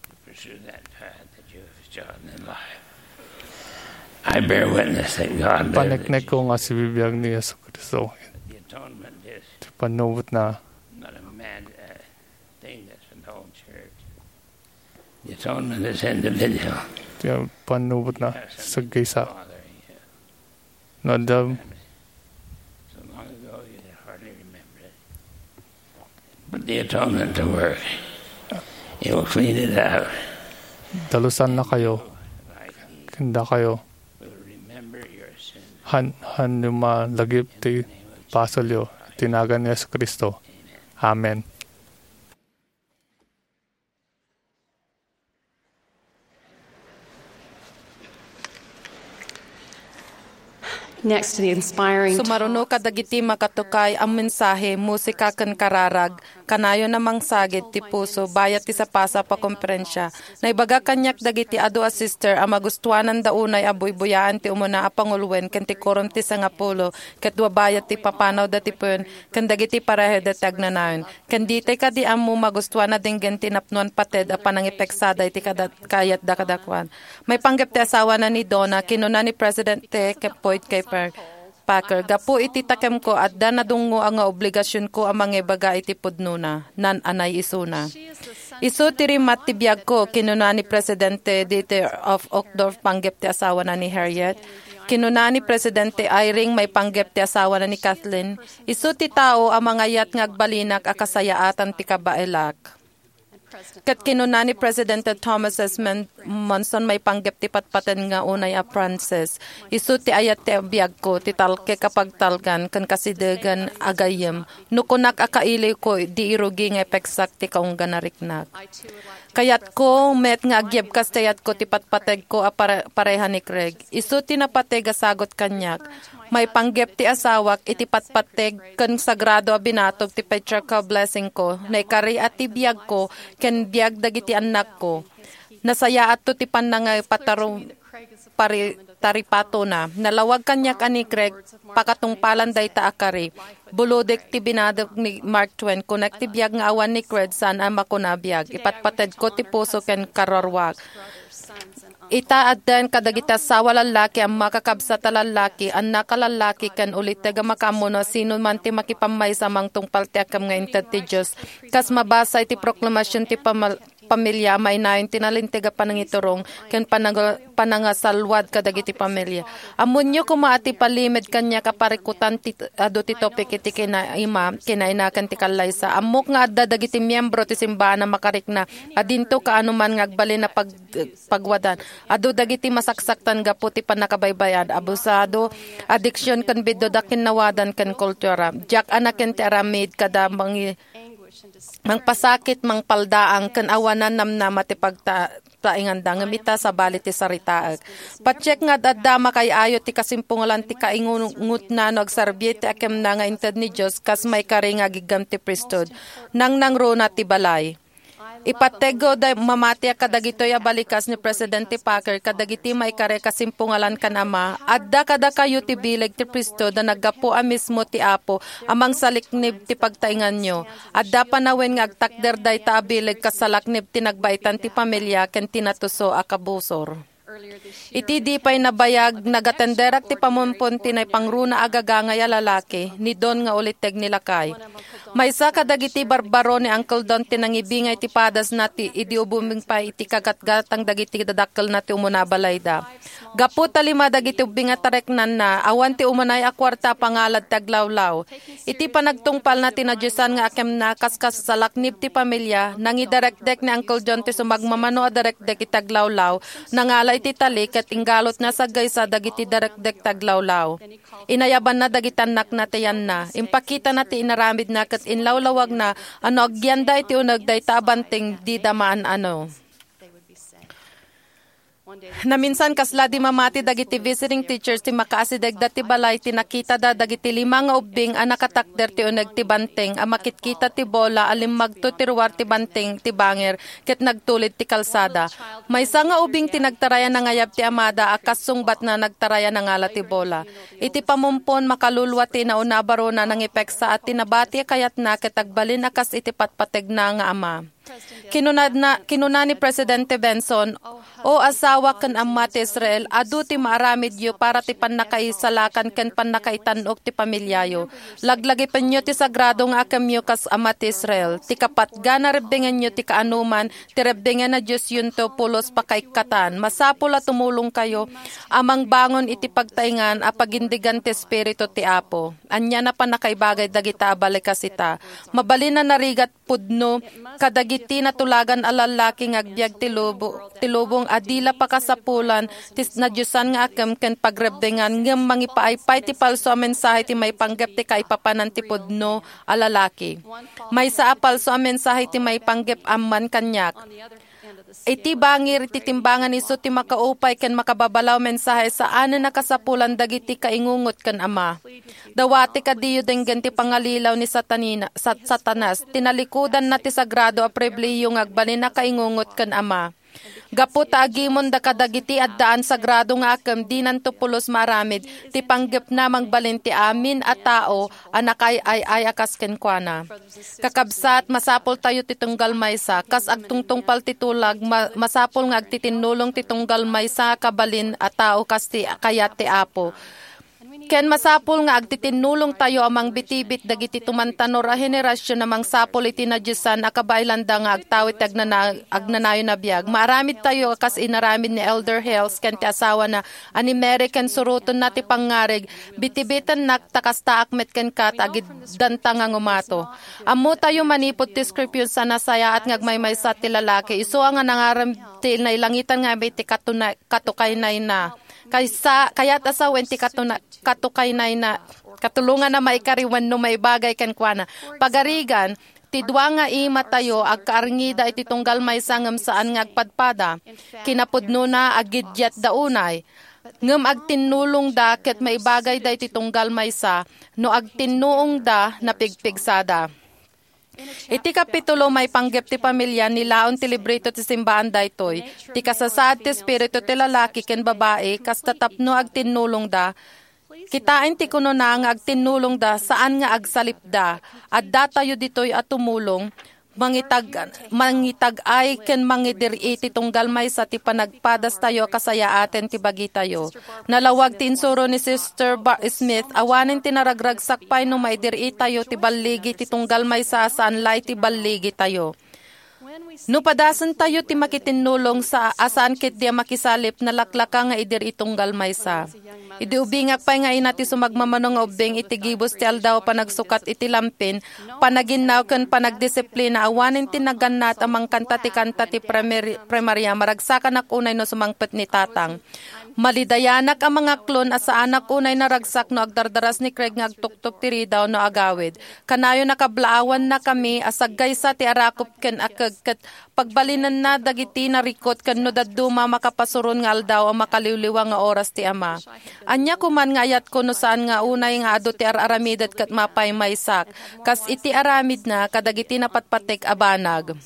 to pursue that path that you have chosen in life. I bear witness that God lives. Paneknek ko nga sibibiag ni Jesu Cristo. The atonement is Ti pannubot na. Not a mad, uh, thing that's an old church. The atonement is individual. Ti pannubot na. Sagkaysa. Father, you No, the So long ago, you can hardly remember it. Put the atonement to work. It will clean it out. Dalusan na kayo. Like he Kanda kayo. Will remember your sins. Han, han yung malagip ti pasolyo. Tinagan ni Jesu Cristo. Amen. Next to the inspiring Sumaruno kadagiti makatukay a mensahe, musika ken kararag, kanayon a mangsagid ti puso bayat ti sapasap a konferensia. Naibaga kaniak dagiti adu a sister a magustuananda unay a buybuyaan ti umuna a panguloen ken ti kurom ti sangapulo ket dua bayat ti papanawda ti puyon ken dagiti pareheda ti agnanayon. Ken ditay kadi ammo, magustuanna denggen ti napnoan pated a panangipeksada iti kada-, kayatda kadakuada. Maipanggep ti asawana ni Donna, kinuna ni Presidente Boyd K. Per-, Packer, "Gapu iti takemko, adda nadungngo a nga obligasionko a mangibaga iti pudnona, naan-anay isuna. Isu ti rimmat ti biagko," kinuna ni Presidente Dieter F. Uchtdorf, panggep ti asawana ni Harriet. Kinuna ni Presidente Eyring, maipanggep ti asawana ni Kathleen, "Isu ti tao a mangayat nga agbalinak a kasayaatan ti kabaelak." Ket kinuna ni Presidente Thomas S. Mon-, Monson, maipanggep ti patpateg nga unay a Frances, isu ti ayat ti biagko, ti talkek a pagtalgan, ken kasidegan a gayyem. No kunak a kailiwko, di irugi nga ipeksak ti kaunggan a riknak. Kayatko met nga agyebkas ti ayatko ti patpategko a pare-, pareha ni Craig. Isu ti napateg a sagut kaniak. Maipanggep ti asawak iti patpateg ken sagrado a binatog ti patriarchal blessingko, naikari a ti biagko ken biag dagiti annakko. Nasayaatto ti pannangipataru-, pari-, taripatona. Nalawag kaniak a ni Craig pakatungpalan dayta a kari. Bulodek ti binatog ni Mark Twain, kunak ti biag nga awan ni Craig saan a makuna a biag. Ipatpatedko ti puso ken karuruaak. Ita addan kadagiti asawa lallaki, amma, kakabsat a lallaki, annak a lallaki, ken uliteg a makaammo no sino man ti makipammaysa mangtungpal ti akkem nga inted ti Dios. Kas mabasa iti proklamasyon ti pamal-, pamilia, mainayon ti nalinteg a panangiturong ken panang-, panangasalwad kadagiti pamilia. Ammonyo koma a ti palimed kaniak a parikutan ti adu ti topik iti kinaima, kinaina ken ti kallaysa. Ammok nga adda dagiti miembro ti simbahan a makarikna a dinto kaano man nga agbalin a pag-, pagwadan. Adu dagiti masaksaktan gapu ti pannakabaybay-an, abusado, adiksion ken biddut a kinnawadan ken kultura. Diak a naken ti aramid kada mangi-, mangpasakit, mangpaldaang, ken awanan namnama ti pagta-, tainganda, ngem ita, sabali ti saritaek. Patiek nga ad-adda a makaay-ayo ti kasimpungalan ti kaingungotna no agserbi ti akemna nga inted ni Dios kas maikari nga agiggam ti priesthood. Nangnangruna ti balay. Ipattegko da mamatiak kadagitoy a balikas ni Presidente Packer kadagiti maikari a kasimpungalan kan Ama. Adda kadakayo ti bileg ti priesthood a naggapu a mismo ti Apo a mangsaliknib ti pagtainganyo. Adda panawen nga agtakder dayta a bileg kas salaknib ti nagbaitan ti pamilia ken ti natuso a kabusor. Iti di pay nabayag, nagatenderak ti pamumpon ti naipangruna a gagangay a lalaki, ni Don nga uliteg ni lakay. Maysa kadagiti barbaro ni Uncle Don ti nangibingay ti padasna ti idi ubing pay iti kagatgatang dagiti dadakkelna ti umuna a balayda. Gapu ta lima dagiti ubbing a tariknanna, awan ti umunay a kuarta a pangalad ti aglawlaw. Iti panagtungpalna ti nadiosan nga akemna kas kasalaknib ti pamilia, nangiderekdek ni Uncle John ti sumagmamano a derekdek iti aglawlaw, nangala iti tali ket inggalotna saggaysa dagiti derekdek ti aglawlaw. Inayabanna dagiti annakna ti yanna. Impakitana ti inaramidna ket inlawlawagna a no agyanda iti uneg dayta a banteng, dida maan-ano. Naminsan, kasla di mamati dagiti visiting teachers ti makaasidegda ti balay ti nakitada dagiti lima nga ubbing a nakatakder ti uneg ti banteng a makitkita ti bola a limmagto ti ruar ti banteng ti banger ket nagtulid ti kalsada. Maysa nga ubing ti nagtaray a nangayab ti amada a kas sungbatna nagtaray a nangala ti bola. Iti pamumpon, makalulua ti inauna a barona nangipeksa a ti nabati a kayatna ket agbalin a kas iti patpategna nga ama. Kinunana, kinuna ni Presidente Benson, "O asawa ken amma ti Israel, adu ti maaramidyo para ti pannakaisalakan ken pannakaitan-ok ti pamiliayo. Laglagipenyo ti sagrado nga akemyo kas ama ti Israel. Ti kapatgan a rebbengenyo ti kaanoman ti rebbengen a diosyonto pulos pakaikkatan. Masapul a tumulongkayo a mangbangon iti pagtaingan a pagindegan ti Espiritu ti Apo." Ania a pannakaibagay dagita a balikas ita. Mabalin a narigat pudno kadagiti natulagan a lallaki nga agbiag ti lubo-, ti lubong a di la pakasapulan ti nadiosan nga akkem ken pagrebbengan, ngem mangipaaypay ti palso a mensahe ti maipanggep ti kaipapanan ti pudno a lalaki. Maysa a palso a mensahe ti maipanggep amman kaniak. Iti bangir iti timbangan isu ti makaupay ken makababalaw mensahe saanen a kasapulan dagiti kaingungot ken ama. Dawati kadiyo denggen ti pangalilaw ni Satanina-, Sat-, Satanas. Tinalikudanna ti sagrado a pribilehiyo nga agbalin a kaingungot ken ama. Gapu ta agimonda kadagiti addaan sagrado nga akkem, dinanto pulos maaramid ti panggepna mangbalin ti amin a tao a nakaay-ay-ay a kas kenkuana. Kakabsat, masapultayo ti tunggal maysa. Kas agtungtungpal ti tulag, ma-, masapul nga agtitinnulong ti tunggal maysa a kabalin a tao kas ti kayat ti Apo. Ken masapul nga agtitinnulongtayo a mangbitbit dagiti tumantanor a henerasion a mangsapul iti nadiosan a kabaelanda nga agtawid ti agnana-, agnanayon a biag. Maaramidtayo a kas inaramid ni Elder Hales ken ti asawana a ni Mary ken surotonna ti pangngarig, "Bitbitennak ta kastaak met kenka ta agiddanta nga ngumato." Ammotayo manipud ti Scriptures a nasayaat nga agmaymaysa ti lalaki, isu a nga nangaram ti nailangitan nga iti katuna-, katukaynayna. Kaysa, kayat a sawen ti katuna-, katukaynayna, katulonganna maikari wenno maibagay kenkuana. Pagarigan, ti dua nga imatayo agkaarngida iti tunggal maysa ngem saan nga agpadpada. Kinapudnona, agidiatda unay. Ngem agtinnulongda ket maibagayda iti tunggal maysa no agtinnuongda napigpigsada. Iti kapitulo maipanggep ti pamilia, nilaon ti libreto ti simbaan daytoy. Ti kasasaad ti espiritu ti lalaki ken babai, kasta tapno agtinnulongda. Kitaen ti kunona nga agtinnulongda, saan nga agsalipda. Addatayo ditoy a tumulong, mangitag-, mangitag-ay ken mangidir-i ti tunggal maysa ti panagpadastayo a kasayaaten ti bagitayo. Nalawag ti insuro ni Sister Ba-, Smith, awanen ti naragragsak pay no maidir-itayo ti balligi ti tunggal maysa a saan la iti balligitayo. No padasentayo ti makitinnulong sa-, a saan ketdi a makisalip, nalaklaka nga idir-i tunggal maysa. Idi ubingak pay nga ina ti sumagmamano nga ubbing iti gibus ti aldaw a panagsukat iti lampin, panaginnaw ken panagdisiplina, awanen ti nagannat a mangkanta ti kanta ti primer-, primaria, maragsakanak unay no sumangpet ni tatang. Malidayanak a mangaklon a saanak unay naragsak no agdardaras ni Craig nga agtuktok ti ridaw no agawid. Kanayon a kablaawannakami a saggaysa ti arakop ken akeg ket pagbalinenna dagiti narikut ken no dadduma makapasuron nga aldaw a makaliwliwa nga oras ti ama. Ania koman nga ayatko no saan nga unay nga adu ti ar-aramidet ket mapaymaysak, kas iti aramidna kadagiti napatpatek a banag.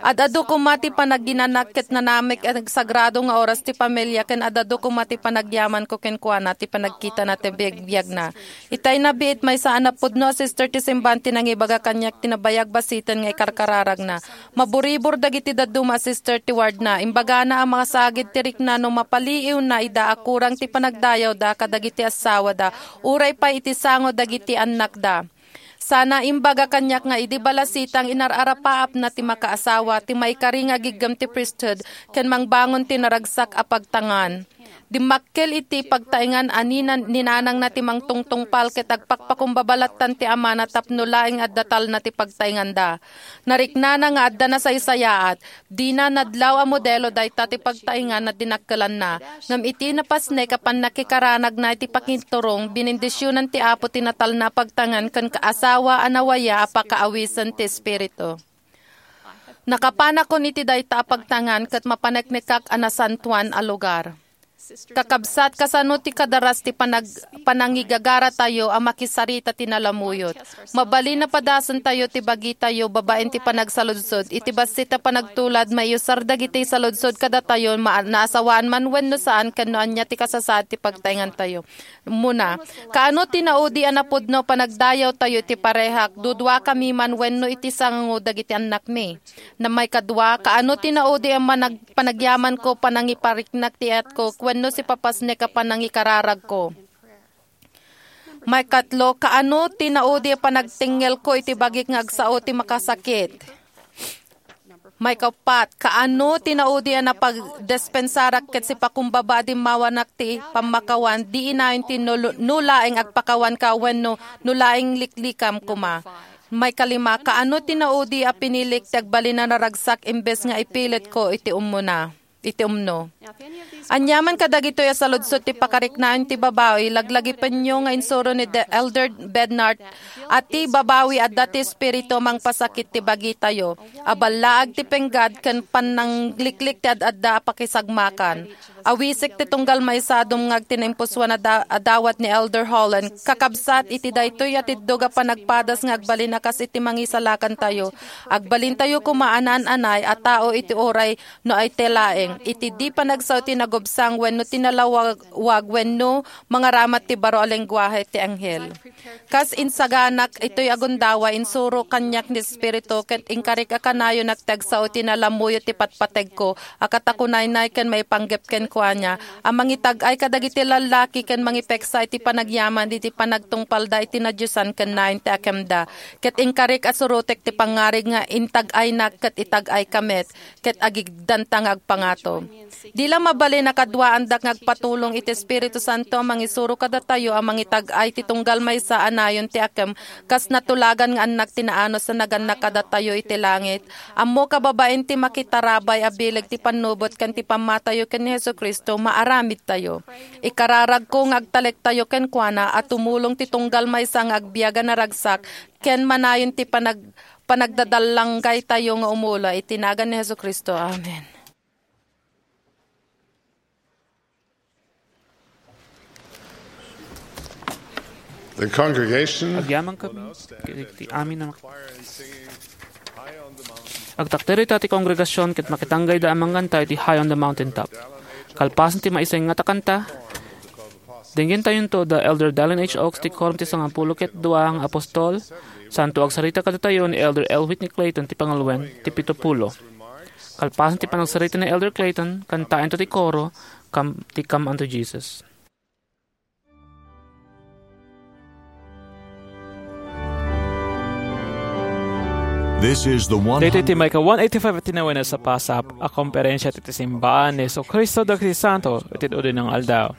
Ad-adu koma ti panaginanak ket nanamek a nagsagrado nga oras ti pamilia ken ad-adu koma ti panagyamanko kenkuana ti panagkitana ti biagbiagna. Itay nabiit, maysa a napudno a sister ti simbahan ti nangibaga kaniak ti nabayag basiten nga ikarkararagna. Maburibor dagiti dadduma a sister ti wardna. Imbagana a masagid ti rikna no mapaliiwna ida a kurang ti panagdayawda kadagiti assawada, uray pay iti sango dagiti annakda. Sana imbaga kaniak nga idi balasitang inar-arapaapna ti makaasawa, ti maikari nga agiggem ti priesthood, ken mangbangon ti naragsak a pagtangan. Dimmakkel iti pagtaengan a ninan-, ni nanangna ti mangtungtungpal ket agpakpakumbaba lattan ti amana tapno laeng adda talna ti pagtaenganda. Nariknana nga adda nasaysayaat, dina nadlaw a modelo dayta ti pagtaengan a dinakkelanna. Ngem iti napasnek a pannakikaranagna iti pakinturong, binindisionan ti Apo ti natalna a pagtaengan ken kaasawa a nawaya a pakaawisen ti Espiritu. Nakapanakon iti dayta a pagtaengan ket mapaneknekak a nasantoan a lugar. Kakabsat, kasano ti kadaras ti panag-, panangigagaratayo a makisarita ti nalamuyot? Mabalin a padasentayo ti bagitayo babaen ti panagsaludsod. Iti bassit a panagtulad, maiusar dagiti saludsod kadatayo, ma-, naasawaan man wenno saan, ken no ania ti kasasaad ti pagtaengantayo. Muna, kaano ti naudi a napudno panagdayawtayo iti parehak, duduakami man wenno iti sango dagiti annakmi? Na maikadua, kaano ti naudi a manag-, panagyamanko, panangipariknak ti ayatko, wenno sipapasnek a panangikararagko? Maikatlo, kaano ti naudi a panagtengngelko iti bagik nga agsao ti makasakit? Maikapat, kaano ti naudi a napagdispensarak ket sipakumbaba a dimmawanak ti pammakawan, di inayon ti no-, no laeng agpakawanka wenno no laeng liklikam koma? Maikalima, kaano ti naudi a pinilik ti agbalin a naragsak imbes nga ipilitko iti umuna, iti umno? Aniaman kadagitoy a saludsod ti pakariknaan ti babawi, laglagipenyo nga insuro ni De-, Elder Bednar a ti babawi adda ti espiritu a mangpasakit ti bagitayo, a ballaag ti penggad ken pannangliklik ti ad-adda a pakisagmakan. Awisik ti tunggal maysa a dumngag ti naimpusoan a da-, a dawat ni Elder Holland. Kakabsat, iti daytoy a tiddog a panagpadas nga agbalin a kas iti mangisalakantayo, agbalintayo koma a naan-anay a tao iti uray no ay ti laeng. iti di panagsao ti nagubsang wenno ti nalawag wenno mangaramat ti baro a lengguahe ti anghel. Kas insaganak itoy a gundaway, insuro kaniak ni Espiritu ket inkarik a kanayonak ti agsao iti nalammuyo ti patpategko a katakunaynay ken maipanggep kenkuana a mangitag-ay kadagiti lallaki ken mangipeksa iti panagyaman iti panagtungpalda iti nadiosan ken nayon ti akemda. Ket inkarik a surotek ti pangngarig nga intag-aynak ket itag-ayka met, ket agigdanta nga agpangato. Di la mabalin a kaduaandak nga agpatulong iti Espiritu Santo a mangisuro kadatayo a mangitag-ay ti tunggal maysa a nayon ti akem kas natulagan nga annak ti naanus a nagannak kadatayo iti langit. Ammoka babaen ti makitarabay a bileg ti pannubot ken ti pammatayo ken ni Jesu-Cristo, maaramidtayo. Ikararagko nga agtalektayo kenkuana a tumulong ti tunggal maysa nga agbiag a naragsak ken manayon ti panag-, panagdadallanggaytayo nga umula iti nagan ni Jesu-Cristo. Amen. The congregation Agyaman kami iti amin a mak-, agtakder ita ti kongregasion ket makitanggayda a mangganta iti High on the Mountain Top. Kalpasan ti maisengat a kanta, denggentayonto da Elder Dallin H. Oaks ti Quorum ti Sangapulo ket Dua nga Apostol, santo agsarita kadatayo ni Elder L. Whitney Clayton ti pangalwen ti Pitupulo. Kalpasan ti panagsarita ni Elder Clayton, kantaento ti koro, Come, ti Come unto Jesus. This is the one Daytoy ti maika one eighty-five a tinawen a sapasap a komperensia ti simbaan ni Jesu-Cristo dagiti Santo iti Udinang Aldaw.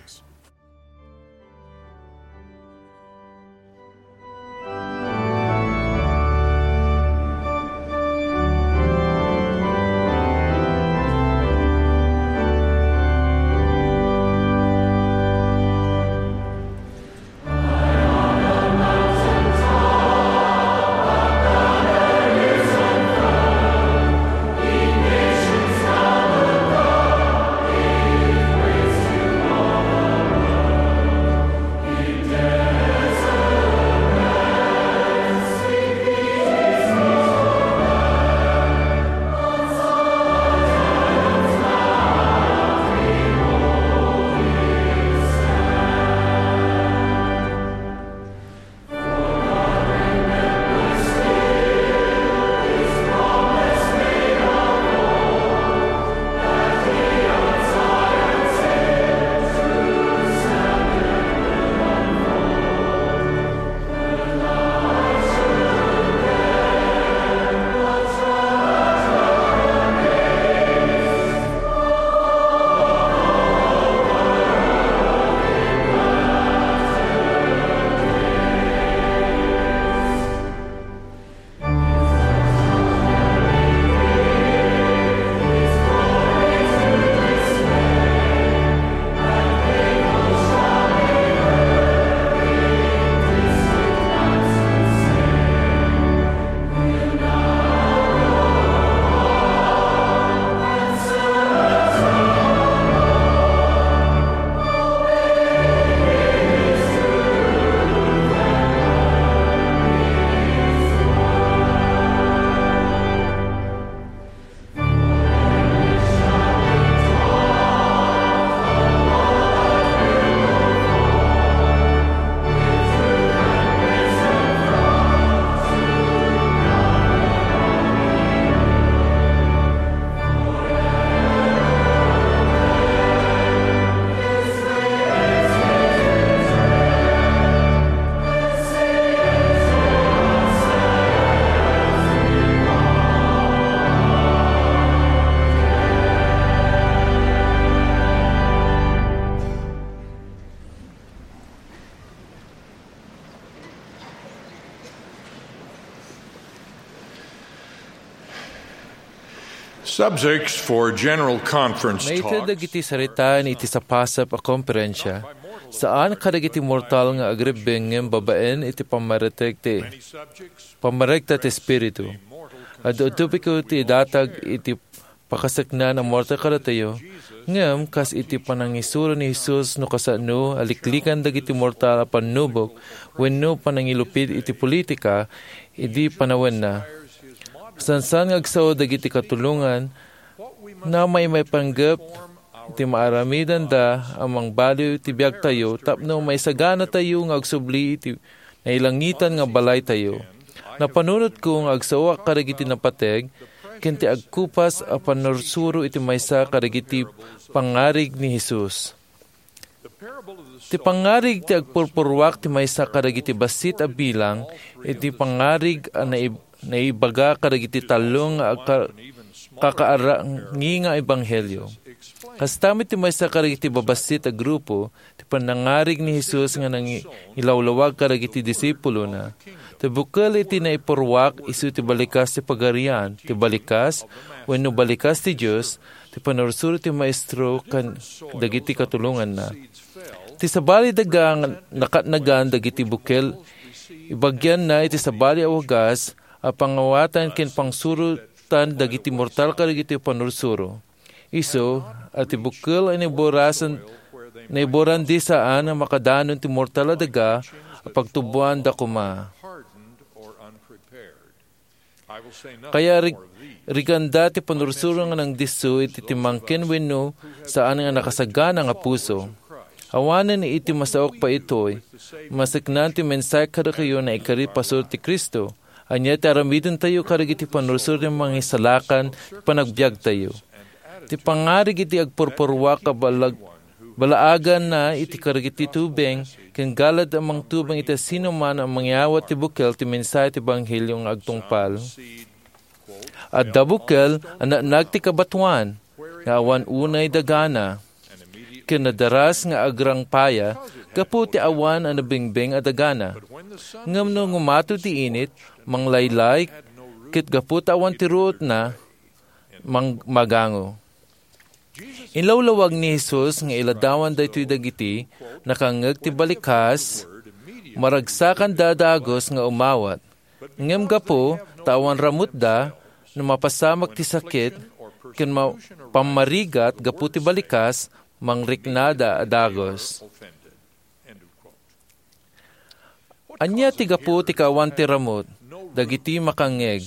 Subjects for General Conference Maited Talks. Dagiti saritaen iti sapasap a komperensia, saan kadagiti mortal nga agribbing ngem babaen iti pammareteg ti, pammaregta ti Espiritu. Adu-adu pay ti idatag iti pakaseknan a mortal kadatayo, ngem kas iti panangisuro ni Jesus no kasano a liklikan dagiti mortal a pannubok wenno panangilupit iti politika idi panawenna. Sansan nga agsao dagiti katulongan Namaymaypanggep iti maaramidenda a mangbaliw ti biagtayo tapno maisaganatayo nga agsubli iti nailangitan nga balaytayo. Napanunotko nga agsaoak kadagiti napateg ken ti agkupas a pannursuro iti maysa kadagiti pangngarig ni Jesus. Ti pangngarig ti agpurpuruak ti maysa kadagiti bassit a bilang iti pangngarig a naib-, naibaga kadagiti tallo nga agka-, kakaarangi nga ebanghelio. Kasta met ti maysa kadagiti babassit a grupo, ti pannangngarig ni Jesus nga nangilawlawag kadagiti disipulona. Ti bukel iti naipurruak isu ti balikas ti Pagarian, ti balikas, wenno balikas ti Dios, ti pannursuro ti Maestro ken dagiti katulonganna. Ti sabali daga nga nakatnagan dagiti bukel, ibagianna iti sabali a wagas a pangawatan ken pangsurotan dagiti mortal kadagiti pannursuro. Isu a ti bukel a naiborasan, naiborandi saan a makadanon ti mortal a daga a pagtuboanda koma. Kaya rig-, riganda ti pannursuro nga nangdisso iti timmangken wenno saan nga nakasagana nga puso. Awanen iti masaok pay itoy, maseknan ti mensahe kadakayo nga ikari pasur ti Cristo. Ania ti aramidentayo kadagiti pannursuro ti mangisalakan ti panagbiagtayo? Ti pangngarig iti agpurpuruak a balag-, balaaganna iti kadagiti tubeng ken galad a mangtubeng iti sinoman a mangyawat ti bukel ti mensahe ti ebanghelio nga agtungpal. Adda bukel a naennag ti kabatoan nga awan unay dagana, ken nadaras nga agrangpaya gapu ti awan a nabingbing a dagana. Ngem no ngumato ti init, manglaylay, ket gapu ta awan ti ruotna, mang-, magango. Inlawlawag ni Jesus nga iladawan daytoy dagiti nakangngeg ti balikas, maragsakanda a dagus nga umawat. Ngem gapu ta awan ramutda, no mapasamak ti sakit ken ma-, pammarigat gapu ti balikas, mangriknada a dagus. Ania ti gapu ti kaawan ti ramut dagiti makangngeg?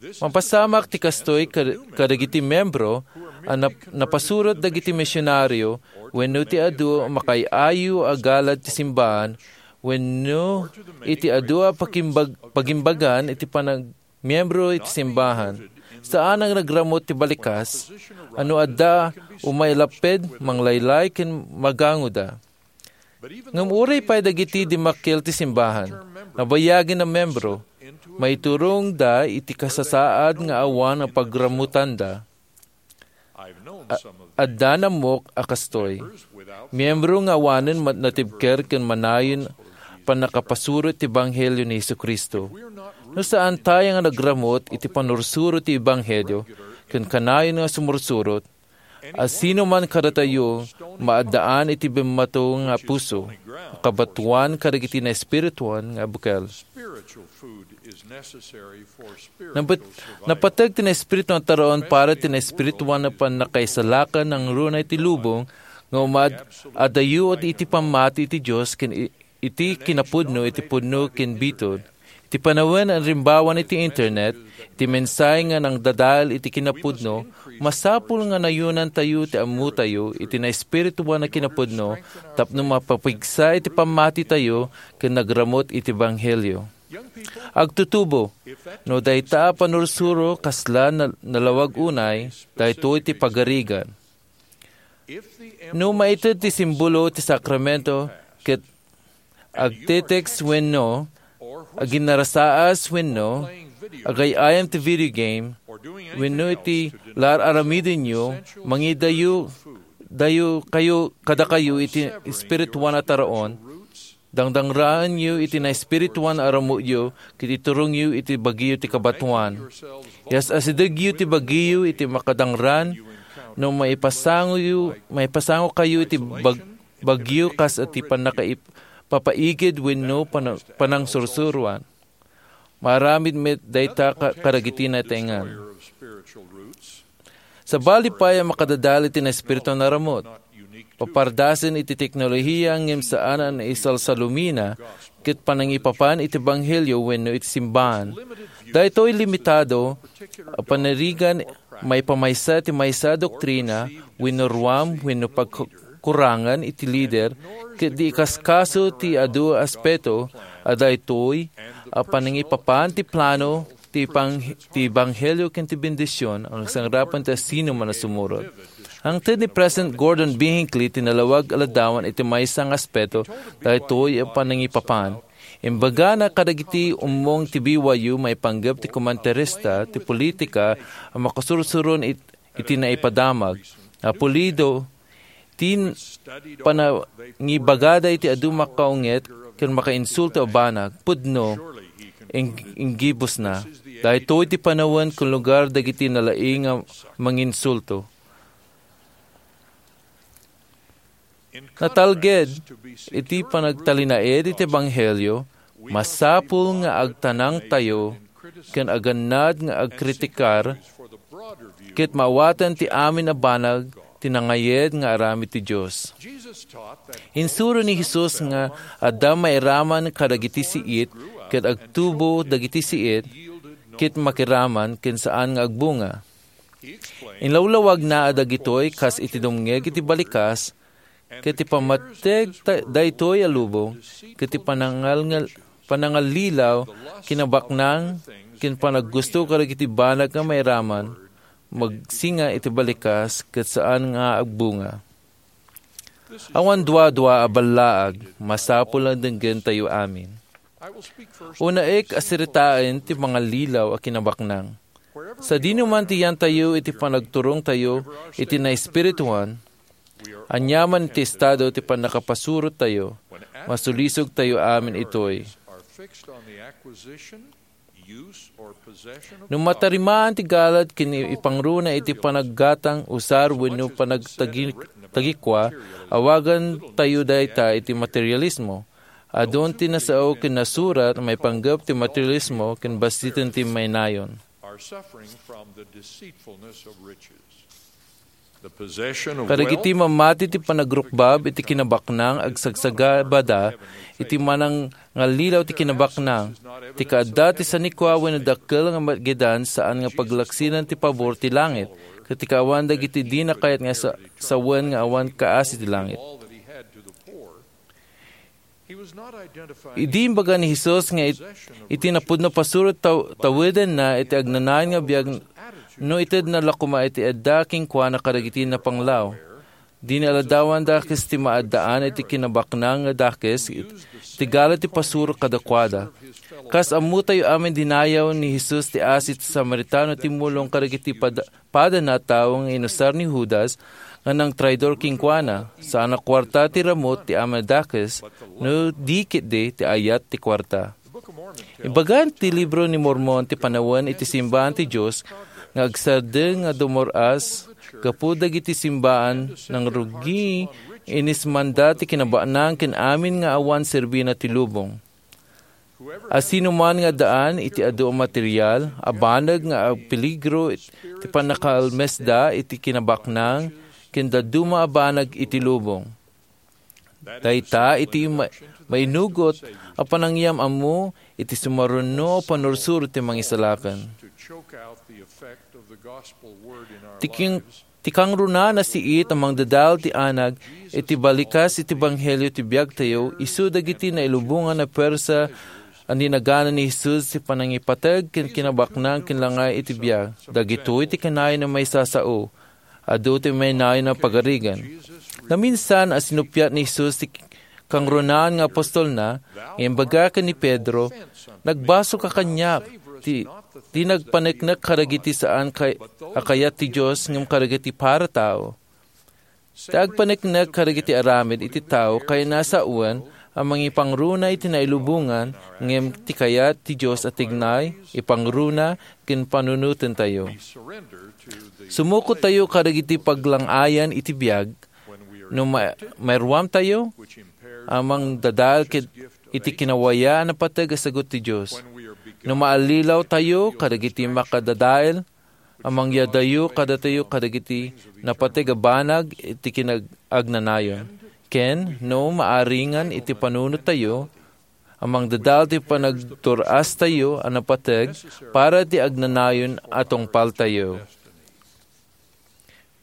Mapasamak ti kastoy kad-, kadagiti membro a nap-, napasurot dagiti misionario wenno ti adu a makaay-ayo a galad ti simbahan wenno iti adu a pakimbag-, pagimbagan iti panag-, miyembro iti simbahan. Saan a nagramut ti balikas, a no adda umay lapped, manglaylay, ken magangoda. Ngem uray pay dagiti dimmakkel ti simbahan, nabayagin a membro, maiturongda iti kasasaad nga awan a pagramutanda. A-, adda nammok a kastoy. Miyembro nga awanen mat-, natibker ken manayon pannakapasurot ti ebanghelio ni Jesu-Cristo. No saan tayo nga nagramut iti pannursuro ti ebanghelio ken kanayon nga sumursurot, a sino man kadatayo maaddaan iti bimmato nga puso, a kabatoan kadagiti naespirituan nga bukel. Napet-, napateg ti naespiritu nga taraon para ti naespirituan a pannakaisalakan nangruna iti lubong nga umad-, adayo iti pammati iti Dios ken i-, iti kinapudno iti pudno ken biton. Iti panawen a rimbawan iti internet, iti mensahe nga nangdadael iti kinapudno, masapul nga nayunantayo ti ammotayo iti naespirituan a kinapudno tapno mapapigsa iti pammatitayo ken nagramut iti ebanghelio. Agtutubo, no dayta a panursuro kasla na-, nalawag unay, daytoy ti pagarigan. No maited ti simbolo ti sakramento ket agte-text wenno aginnarasaas wenno agay-ayam ti video game wenno iti laar-aramidenyo, mangidayo, dayo kayo, kadakayo iti espirituan a taraon, dangdangraenyo iti naespirituan a ramutyo ket iturongyo iti bagiyo ti kabatoan. Yas-asidegyo ti bagiyo iti makadangran no maipasangoyo, maipasangokayo iti bag-, bagyo kas iti pannakaip-, papaigid wenno pana-, panangsursuroan. Maaramid met dayta ka-, kadagiti natengan. Sabali pay a makadadael iti naespiritu a naramut. Papardasen iti teknolohiya ngem saan a naisalsalumina ket panangipapan iti ebanghelio wenno iti simbahan. Daytoy limitado a panirigan maipamaysa ti maysa a doktrina wenno ruam wenno pagkurangan iti lider, ket di ikaskaso ti adu a aspeto a daytoy a panangipapan ti plano ti pang-, ti ebanghelio ken ti bendision a nagsangirapan ti asino man a sumurot. Hangted ni President Gordon B. Hinckley ti nalawag a ladawan iti maysa nga aspeto daytoy a panangipapan. Imbagana kadagiti ummong ti B Y U maipanggep ti komentarista ti politika a makasursuron it-, iti naipadamag. A pulido, ti n-, panangibagada iti adu makaunget ken makainsulto a banag, pudno, ing-, inggibusna. Daytoy ti panawen ken lugar dagiti nalaing a manginsulto. Natalged iti panagtalinaed iti ebanghelio, masapul nga agtanangtayo ken agannad nga agkritikar ket maawaten ti amin a banag ti nangayed nga aramid ti Dios. Insuro ni Jesus nga adda mairaman kadagiti siit ket agtubo dagiti siit ket makiraman ken saan nga agbunga. Inlawlawagna a dagitoy kas iti dumngeg iti balikas, ket ti pammateg ta-, daytoy a lubong, ket ti panangal-, panangallilaw, kinabaknang, ken panaggusto kadagiti banag nga mairaman, magsinga iti balikas, ket saan nga agbunga. Awan duadua a ballaag, masapul a denggentayo amin. Unaek a siritaen ti mangallilaw a kinabaknang. Sadino man ti yantayo iti panagturongtayo iti naespirituan, aniaman ti estado ti pannakapasurottayo, masulisogtayo amin itoy. No matarimaan ti galad ken ipangruna iti panaggatang, usar, wenno panagtagi-, tagikua, awagantayo dayta iti materialismo. Adun ti nasao ken nasurat maipanggep ti materialismo ken basiten ti mainayon. Kadagiti mamati ti panagrukbab iti kinabaknang agsagsagabada iti manangallilaw ti kinabaknang. Ti kaadda ti sanikua wenno dakkel nga maagidan saan nga paglaksinan ti pabor ti langit, ket ti kaawan dagiti dina kayat nga sa-, sawen nga awan kaasi ti langit. Idi imbaga ni Jesus nga it-, iti napudno a pasurot taw-, tawedenna iti agnanayon nga biag no itedna la koma iti adda kenkuana kadagiti napanglaw. Dina aladawan dakes ti maaddaan iti kinabaknang nga dakes it-, iti galad ti pasurot kadakuada. Kas ammotayo amin, dinayaw ni Jesus ti asi ti Samaritano a timmulong kadagiti pada-, padana a tao nga inusar ni Judas nga nangtraidor kenkuana. Saan a kuarta ti ramut ti amin a dakes, no di ketdi ti ayat ti kuarta. Ibaga ti Libro ni Mormon ti panawen iti simbaan ti Dios nga agsardeng nga dumur-as gapu dagiti simbaan nangrugi, inismanda ti kinabaknang ken amin nga awan serbina ti lubong. Asinoman nga addaan iti adu a material a banag nga agpeligro ti pannakaalmesda iti kinabaknang ken dadduma a banag iti lubong. Dayta iti ma-, mainugot a panangyam-ammo iti sumaruno a pannursuro ti Mangisalakan. Ti king-, ti kangrunaan a siit a mangdadael ti anag iti balikas iti ebanghelio ti biagtayo, isu dagiti nailubongan a puersa a ninagana ni Jesus ti panangipateg ken kinabaknang ken langay iti biag. Dagitoy ti kanayon a maisasao. Adu ti mainayon a pagarigan. Naminsan a sinuppiat ni Jesus ti kangrunaan nga apostolna, nga imbaga ken ni Pedro, "Nagbasolka kaniak, ti, ti nagpaneknek kadagiti saan kay-, a kayat ti Dios ngem kadagiti para tao." Ti agpaneknek kadagiti aramid iti tao kayatna a sawen a mangipangruna iti nailubongan ngem ti kayat ti Dios a tignay, ipangruna, ken panunotentayo. Sumukotayo kadagiti paglang-ayan iti biag no ma-, mairuamtayo a mangdadael ket iti kinawayaan a pateg a sagut ti Dios. No maallilawtayo kadagiti makadadael a mangyadayo kadatayo kadagiti napateg a banag iti kinag-, agnanayon. Ken no maaringan iti panunottayo, a mangdadael ti panagdur-astayo a napateg para ti agnanayon a tungpaltayo.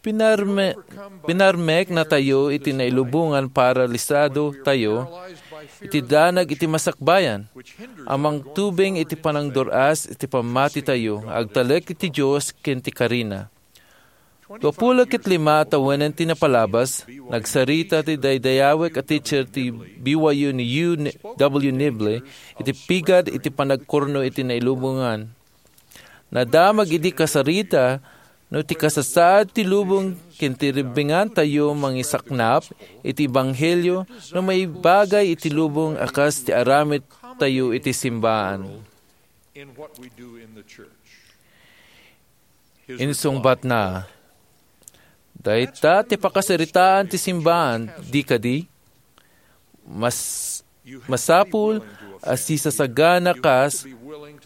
Pinarme-, pinarmeknatayo iti nailubongan paralisado tayo iti danag iti masakbayan, a mangtubeng iti panangdur-as iti pammatitayo, agtalek iti Dios ken ti karina. Dua pulo ket lima a tawen ti napalabas, nagsarita ti daydayawek a teacher ti B Y U ni U W Nibley iti pigad iti panagkurno iti nailubongan. Nadamag idi kasarita no ti kasasaad ti lubong ken ti ribbingantayo mangisaknap iti ebanghelio no maibagay iti lubong a kas ti aramidtayo iti simbaan. Insungbatna, "Dayta ti pakasaritaan ti simbaan, di kadi? Mas-, masapul a sisasaganakas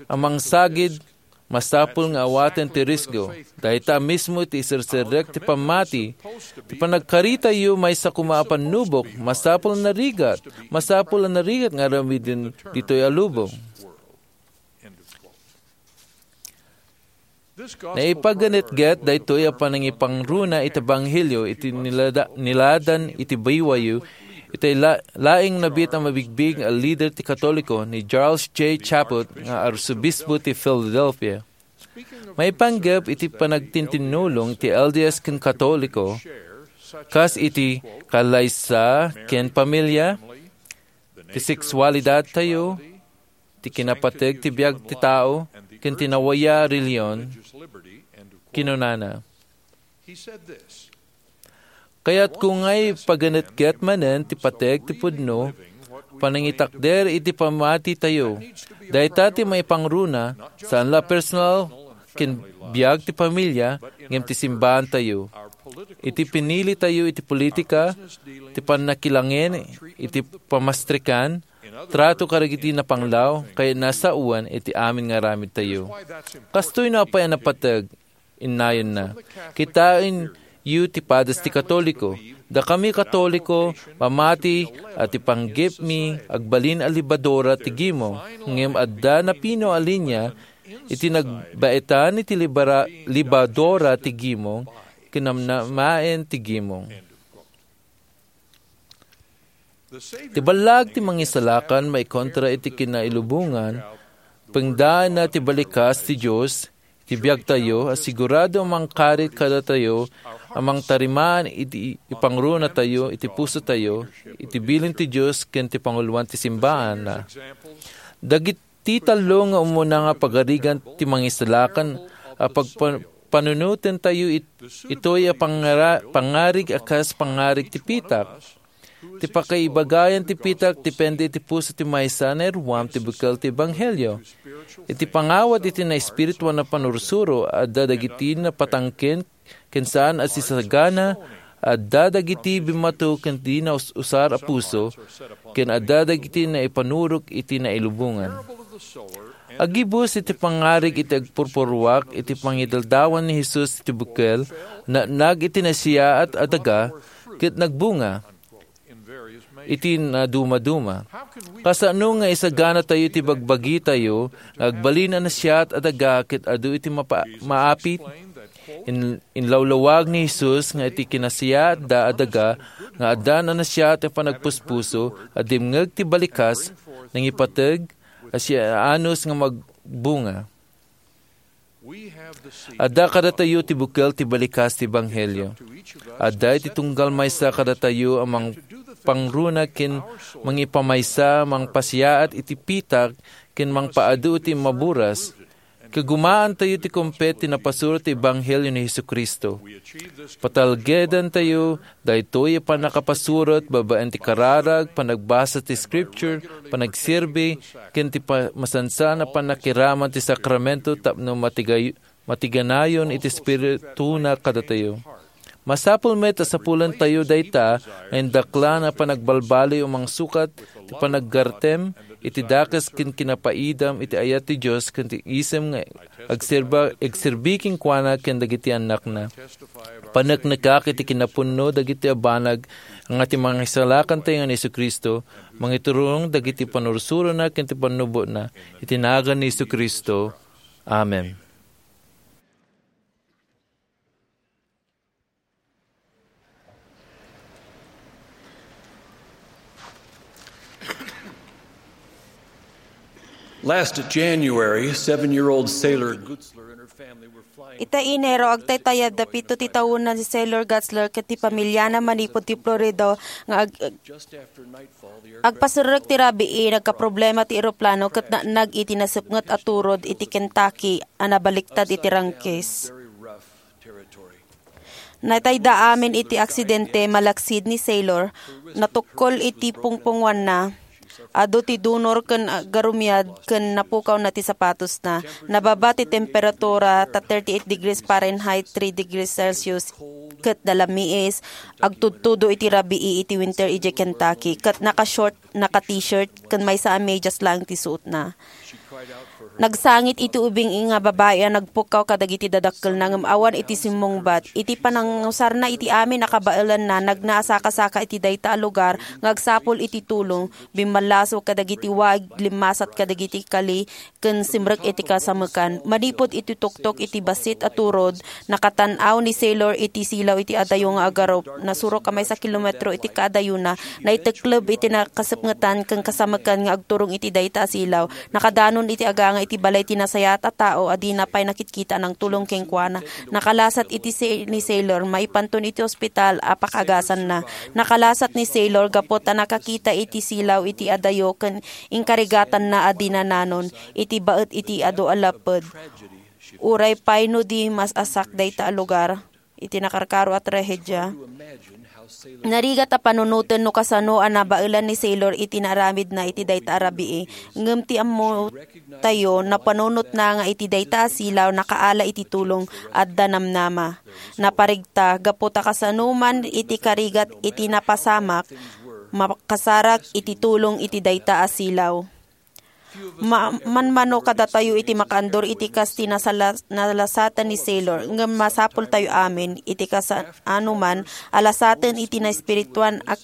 a mangsagid, masapul nga awaten ti risgo. Dayta mismo ti iserserrek ti pammati, ti panagkaritayo maysa koma a pannubok, masapul a narigat, masapul a narigat nga aramiden ditoy a lubong." Naipaganetget daytoy a panangipangruna iti ebanghelio iti nilada-, niladan iti B Y U iti la-, laing nabiit a mabigbig a lider ti Katoliko ni Charles J. Chaput nga Arsobispo ti Philadelphia. Maipanggep iti panagtintinnulong ti L D S ken Katoliko, kas iti kalaysa ken pamilya, ti seksualidadtayo, ti kinapateg ti biag ti tao, ken ti nawaya a relihion, kinunana, "Kayatko nga ipaganetget manen ti pateg ti pudno, panangitakder iti pammatitayo. Dayta ti maipangruna, saan la personal ken biag ti pamilya, ngem ti simbaantayo. Iti pinilitayo iti politika, ti pannakilangin, iti pamastrikan, trato kadagiti napanglaw, kayatna sawen iti amin nga aramidtayo." Kastoy no apay a napateg, innayenna. Kitaenyo ti padas ti Katoliko. Dakami Katoliko, mamati a ti panggepmi agbalin a libadora ti gimong, ngem adda napino a linia iti nagbaetan iti libara-, libadora ti gimong, kinamnamaen ti gimong. Ti ballag ti Mangisalakan maikontra iti kinailubongan, pengdaenna ti balikas ti Dios iti biagtayo a sigurado a mangkarit kadatayo a mangtarimaan iti ipangrunatayo iti pusotayo, iti bilin ti Dios ken ti panguloan ti simbaanna. Dagiti tallo nga umuna nga pagarigan ti Mangisalakan a pagpa-, panunotentayo it-, itoy a pangara-, pangarig a kas pangarig ti pitak. Ti pakaibagayan ti pitak depende iti puso ti maysa a nairuam ti bukel ti ebanghelio. Iti pangawat iti naespirituan a panursuro, adda dagiti napatangken ken saan a sisagana, adda dagiti bimmato ken di naus-usar a puso, ken adda dagiti naipanurog iti nailubongan. Agibus iti pangarig iti agpurpuruak iti pangidaldawan ni Jesus iti bukel, nagnag iti nasayaat a daga, ket nagbunga iti nadumaduma. Kasano nga isaganatayo ti bagbagitayo nga agbalin a nasayaat a daga ket adu iti mapa-, maapit? In-, inlawlawag ni Jesus nga iti kinasayaatda a daga nga addan a nasayaat a panagpuspuso a dimngeg ti balikas, nangipateg a siyaanus nga magbunga. Adda kadatayo ti bukel ti balikas ti ebanghelio. Adda iti tunggal maysa kadatayo a mangpangruna ken mangipamaysa, mangpasayaat iti pitak ken mangpaadu iti maburas. Kagumaantayo ti kumpet ti napasuro ti ebanghelio ni Jesu-Cristo. Patalgedantayo daytoy a pannakapasurot babaen ti kararag, panagbasa ti Scripture, panagserbi, ken ti pa-, masansan a pannakiraman ti sakramento tapno matigay-, matiganayon iti espirituna kadatayo. Masapul met a sapulentayo dayta nga indaklan a panagbalbaliw a mangsukat ti panaggartem iti dakes ken kinapaidam iti ayat ti Dios ken ti isem nga agserba-, agserbi kenkuana ken dagiti annakna. Paneknekak iti kinapudno dagiti a banag nga ti Mangisalakantayo nga ni Jesu-Cristo, mangiturong dagiti panursurona ken ti pannubotna, iti nagan ni Jesu-Cristo. Amen. Last January, seven-year-old sailor Gutzler and her family were flying. Ita Enero, agtaytayab da pito ti taonna ni Sailor Gutzler ket ti pamiliana manipud ti Florida nga ag-, Just after nightfall, the aircraft agpaserrek ti rabii, nagkaproblema ti eroplano ket naannag iti nasepnget a turod iti Kentucky a nabaliktad iti Rangkis. Very rough territory. Natayda amin iti aksidente malaksid ni Sailor, natukkol iti pungpungoanna. Adu ti dunor ken agarumiad ken napukawna ti sapatosna. Nababa ti temperatura ta thirty-eight degrees Fahrenheit, three degrees Celsius, ket nalamiis, agtudtudo iti rabii iti winter idiay Kentucky, ket naka-short, naka-t-shirt, ken maysa a medias laeng ti suotna. Nagsangit iti ubing nga babai a nagpukkaw kadagiti dadakkelna ngem awan iti simmungbat. Iti panangusarna iti amin a kabaelanna, nagna a sakasaka iti dayta a lugar nga agsapul iti tulong. Bimmallaso kadagiti wag, limmasat kadagiti kali, ken simrek iti kasamekan. Manipud iti tuktok iti bassit a turod, nakatan-aw ni Sailor iti silaw iti adayo nga agarup. Nasurok a maysa kilometro iti kaadayona, naitekleb iti nakasepngetan ken kasamekan nga agturong iti dayta a silaw. Nakadanon iti aganga iti balay ti nasayaat a tao a dina pay nakitkita a nangtulong kenkuana. Nakalasat iti si-, ni Sailor maipanton iti ospital a pakaagasanna. Nakalasat ni Sailor gapu ta nakakita iti silaw iti adayo ken inkarigatanna a dina nanon iti baet iti adu a lapped. Uray pay no di mas-asak dayta a lugar iti nakarkaro a trahedia. Narigat a panunoten no kasano a nabaelan ni Sailor iti naaramidna iti dayta a rabii. Ngem ti ammotayo, napanunotna nga iti dayta a silaw nakaala iti tulong, adda namnama. Naparigta, gapu ta kasano man iti karigat iti napasamak, makasarak iti tulong iti dayta a silaw. Ma-, manmano kadatayo iti makaandur iti kas ti nasala-, nalasatan ni Sailor, ngem masapultayo amin iti kasano man a lasaten iti naespirituan a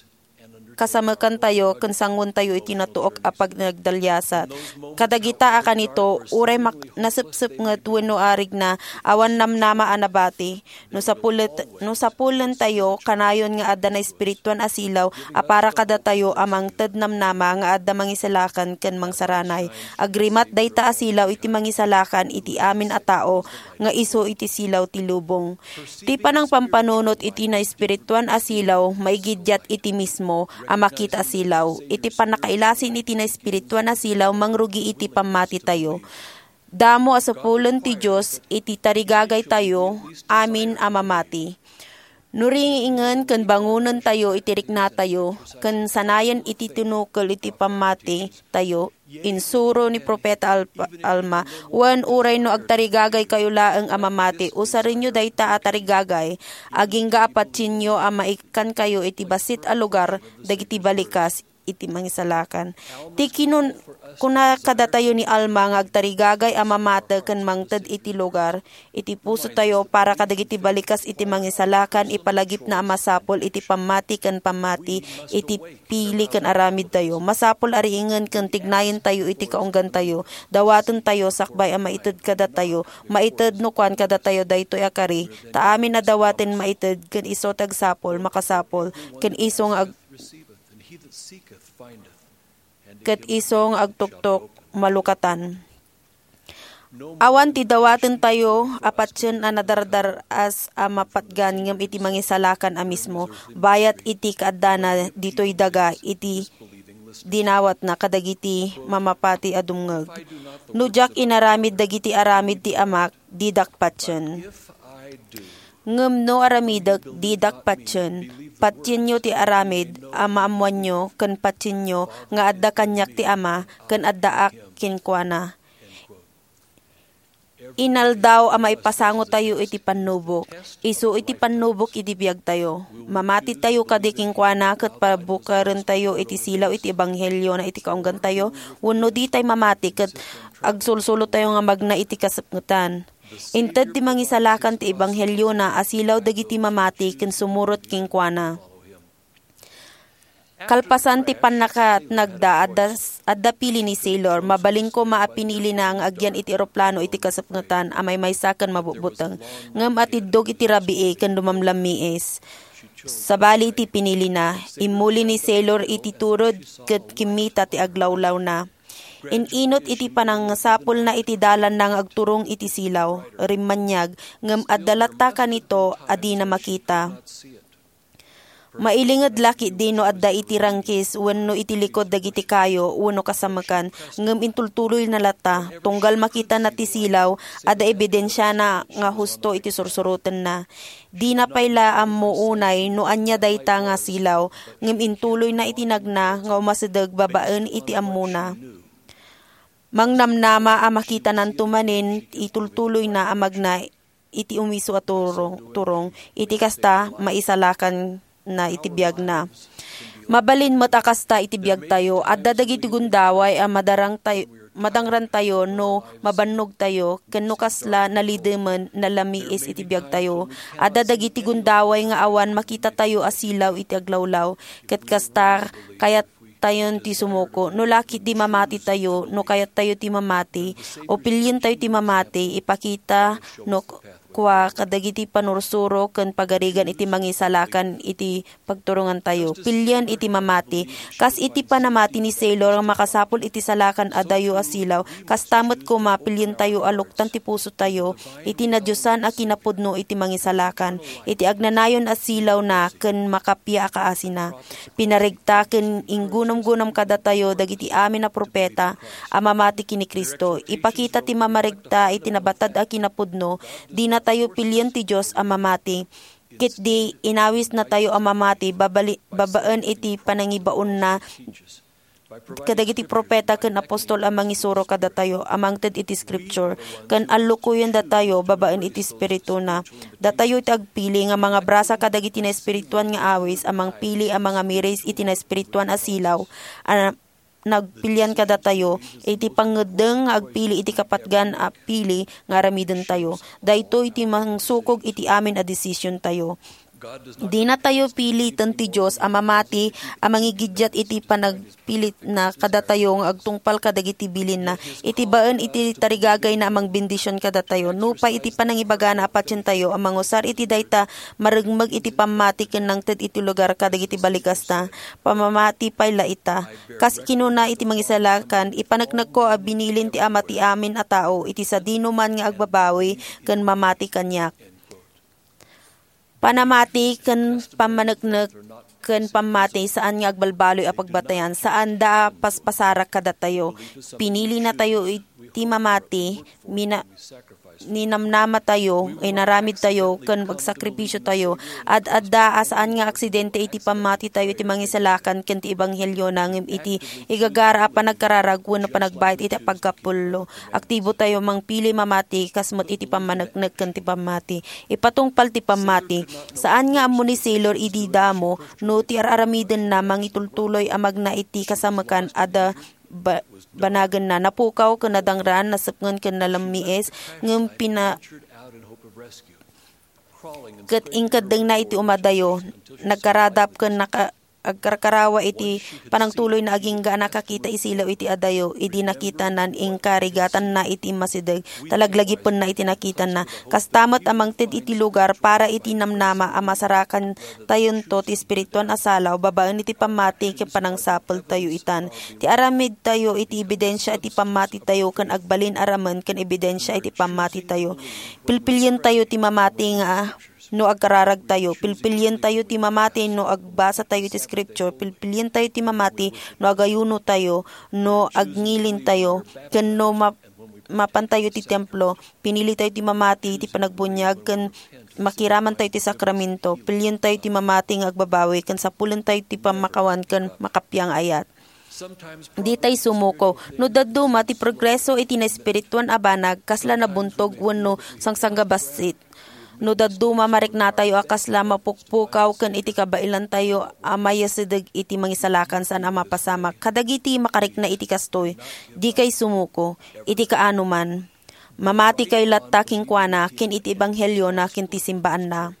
kasamekantayo ken sanguentayo iti natuok a panagdaliasat. Kadagita a kanito, uray mak-, nasepsepnget wenno arigna, awan namnama a nabati. No sapulet-, no sapulentayo, kanayon nga adda naespirituan a silaw a para kadatayo a mangted namnama nga adda mangisalakan ken mangsaranay. Agrimat dayta a silaw iti mangisalakan iti amin a tao nga isu iti silaw ti lubong. Ti panangpampanunot iti naespirituan a silaw maigiddiat iti mismo a makita a silaw. Iti pannakailasin iti naespirituan a silaw mangrugi iti pammatitayo. Damo a sapulen ti Dios iti tarigagaytayo amin a mamati. No riingen ken bangonentayo iti riknatayo, ken sanayen iti tinukel iti pammatitayo, insuro ni Profeta Al-, Alma, wen uray no agtarigagaykayo laeng a mamati, usarenyo dayta a tarigagay, agingga a patienyo a maikkankayo iti bassit a lugar dagiti balikas iti mangisalakan. Ti kinun-, kuna kadatayo ni Alma nga agtarigagay a mamati ken mangted iti lugar iti pusotayo para kadagiti balikas iti mangisalakan, ipalagipna a masapul iti pammati ken pammati iti pili ken aramidtayo. Masapul a riingen ken tignayentayo iti kaunggantayo. Dawatentayo sakbay a maited kadatayo. Maited no kuan kadatayo daytoy a kari, ta amin a dawaten maited ken isu ti agsapul, makasapul, ken isu nga ag-, ket isu nga agtuktok, malukatan. Awan ti dawatentayo a patien a nadardar-as a mapatgan ngem iti mangisalakan a mismo, bayat iti kaaddana ditoy daga iti dinawatna kadagiti mamapati a dumngeg. No diak inaramid dagiti aramid ti Amak, didak patien. Ngem no aramidek, didak patien. Patienyo ti aramid a maammoanyo ken patienyo nga adda kaniak ti Ama ken addaak kenkuana. Inaldaw a maipasangotayo iti pannubok. Isu iti pannubok iti biagtayo. Mamatitayo kadi kenkuana ket pabukarentayo iti silaw iti ebanghelio na iti kaunggantayo, wenno ditay mamati ket agsulsulotayo nga magna iti kasepngetan. Inted ti Mangisalakan ti ebangheliona a silaw dagiti mamati ken sumurot kenkuana. Kalpasan ti pannakatnagda, adda, adda pili ni Sailor. Mabalin koma a pinilina nga agyan iti eroplano iti kasepngetan a maymaysa ken mabutbuteng. Ngem atiddog iti rabii ken lumamlammiis. Sabali iti pinilina, immuli ni Sailor iti turod ket kimmita ti aglawlawna. In-inut iti panangasapulna iti dalanna nga agturong iti silaw, rimmaniag, ngem adda latta kanito a dina makita. Mailinged la ketdi no adda iti rangkis wenno iti likod dagiti kayo wenno kasamekan, ngem intultuloyna latta. Tunggal makitana ti silaw, adda ebidensiana nga husto iti sursurotenna. Dina pay la ammo unay no ania dayta nga silaw, ngem intuloyna iti nagna nga umasideg babaen iti ammona. Mangnamnama a makitananto manen itultuloyna a magna iti umiso a turong, turong. Iti kasta, maisalakanna iti biagna. Mabalin met a kasta iti biagtayo. Adda dagiti gundaway a madarangtay-, madangrantayo no mabannogtayo, ken no kasla nalidemen, nalamiis iti biagtayo. Adda dagiti gundaway nga awan makitatayo a silaw iti aglawlaw. Ket kasta, kayat tayon ti sumuko. No la ketdi mamatitayo, no kayattayo ti mamati, o pilientayo ti mamati, ipakita no kua kadagiti panursuro ken pagarigan iti mangisalakan iti pagturongantayo. Pilien iti mamati. Kas iti panamati ni Sailor nga makasapul iti salakan a dayo a silaw, kasta met koma, pilientayo a luktan ti pusotayo iti nadiosan a kinapudno iti mangisalakan, iti agnanayon a silawna ken makapia a kaasina. Pinaregta ken inggunamgunam kadatayo dagiti amin a profeta a mamati ken ni Cristo. Ipakita ti mamaregta iti nabatad a kinapudno, dinatayo pilien ti Dios a mamati. Ketdi, inawisnatayo a mamati babali-, babaen iti panangibaonna kadagiti profeta ken apostol a mangisuro kadatayo a mangted iti Scripture, ken allukoyendatayo babaen iti Espirituna. Datayo ti agpili nga mangabrasa kadagiti naespirituan nga awis a mangpili a mangamiris iti naespirituan a silaw a nagpilian kadatayo iti pangngeddeng nga agpili iti kapatgan a pili nga aramidentayo. Daytoy ti mangsukog iti amin a desisiontayo. Dinatayo piliten ti Dios a mamati a mangigiddiat iti panagpilitna kadatayo nga agtungpal kadagiti bilinna, iti baen iti tarigagayna a mangbendision kadatayo. Nupay iti panangibagana a patientayo a mangusar iti dayta, marengmeg iti pammati ken nangted iti lugar kadagiti balikasna. Pamamati pay la ita. Kas kinuna iti Mangisalakan, ipaneknekko a binilin ti Ama ti amin a tao iti sadinoman nga agbabawi ken mamati kaniak. Panamati ken pammaneknek ken pammati saan nga agbalbaloy a pagbatayan, saanda a paspasarak kadatayo. Pinilinatayo iti mamati, mina-, ninamnamatayo, inaramidtayo, ken magsakripisiotayo. Ad-adda a saan nga aksidente iti pammatitayo iti Mangisalakan ken ti Ebanghelio, ngem iti igagara a panagkararag wenno panagbayad iti pagkapullo. Aktibotayo mangpili mamati kas met iti pammaneknek ken ti pammati. Ipatungpal ti pammati. Saan nga ammo ni Sailor idi damo no ti ar-aramidenna mangitultuloy a magna iti kasamekan a da ba-, banagenna. Napukaw ken nadangran, nasepngen ken nalammiis, ngem pina-, ket inkeddengna iti umadayo. Nagkaradap ken naka-, agkarkarawa iti panangtuloyna agingga a nakakita isilaw iti adayo. Idi nakitanan, inkarigatanna iti immasideg, ta laglagipenna iti nakitanna. Kasta met a mangted iti lugar para iti namnama a masarakan tayonto ti espirituan a salaw babaen iti pammati ken panangsapultayo itan. Ti aramidtayo iti ebidensia iti pammatitayo ken agbalin a ramen ken ebidensia iti pammatitayo. Pilpilientayo ti mamati nga no agkararagtayo. Pilpilientayo ti mamati no agbasatayo iti Scripture. Pilpilientayo ti mamati no agayunotayo, no agngilentayo, ken no ma-, mapantayo iti templo. Pinilitayo ti mamati iti panagbuniag ken makiramantayo iti sakramento. Pilientayo ti mamati nga agbabawi ken sapulentayo ti pammakawan ken makapia nga ayat. Ditay sumuko. No dadduma ti progreso iti naespirituan a banag, kasla nabuntog wenno sangsangbassit. No dadduma, mariknatayo a kasla mapukpukaw ken iti kabaelantayo a mayasideg iti Mangisalakan saan a mapasamak. Kadagiti makarikna iti kastoy, dikay sumuko. Iti kaano man. Mamatikay latta kenkuana ken iti ebangheliona ken ti simbaanna.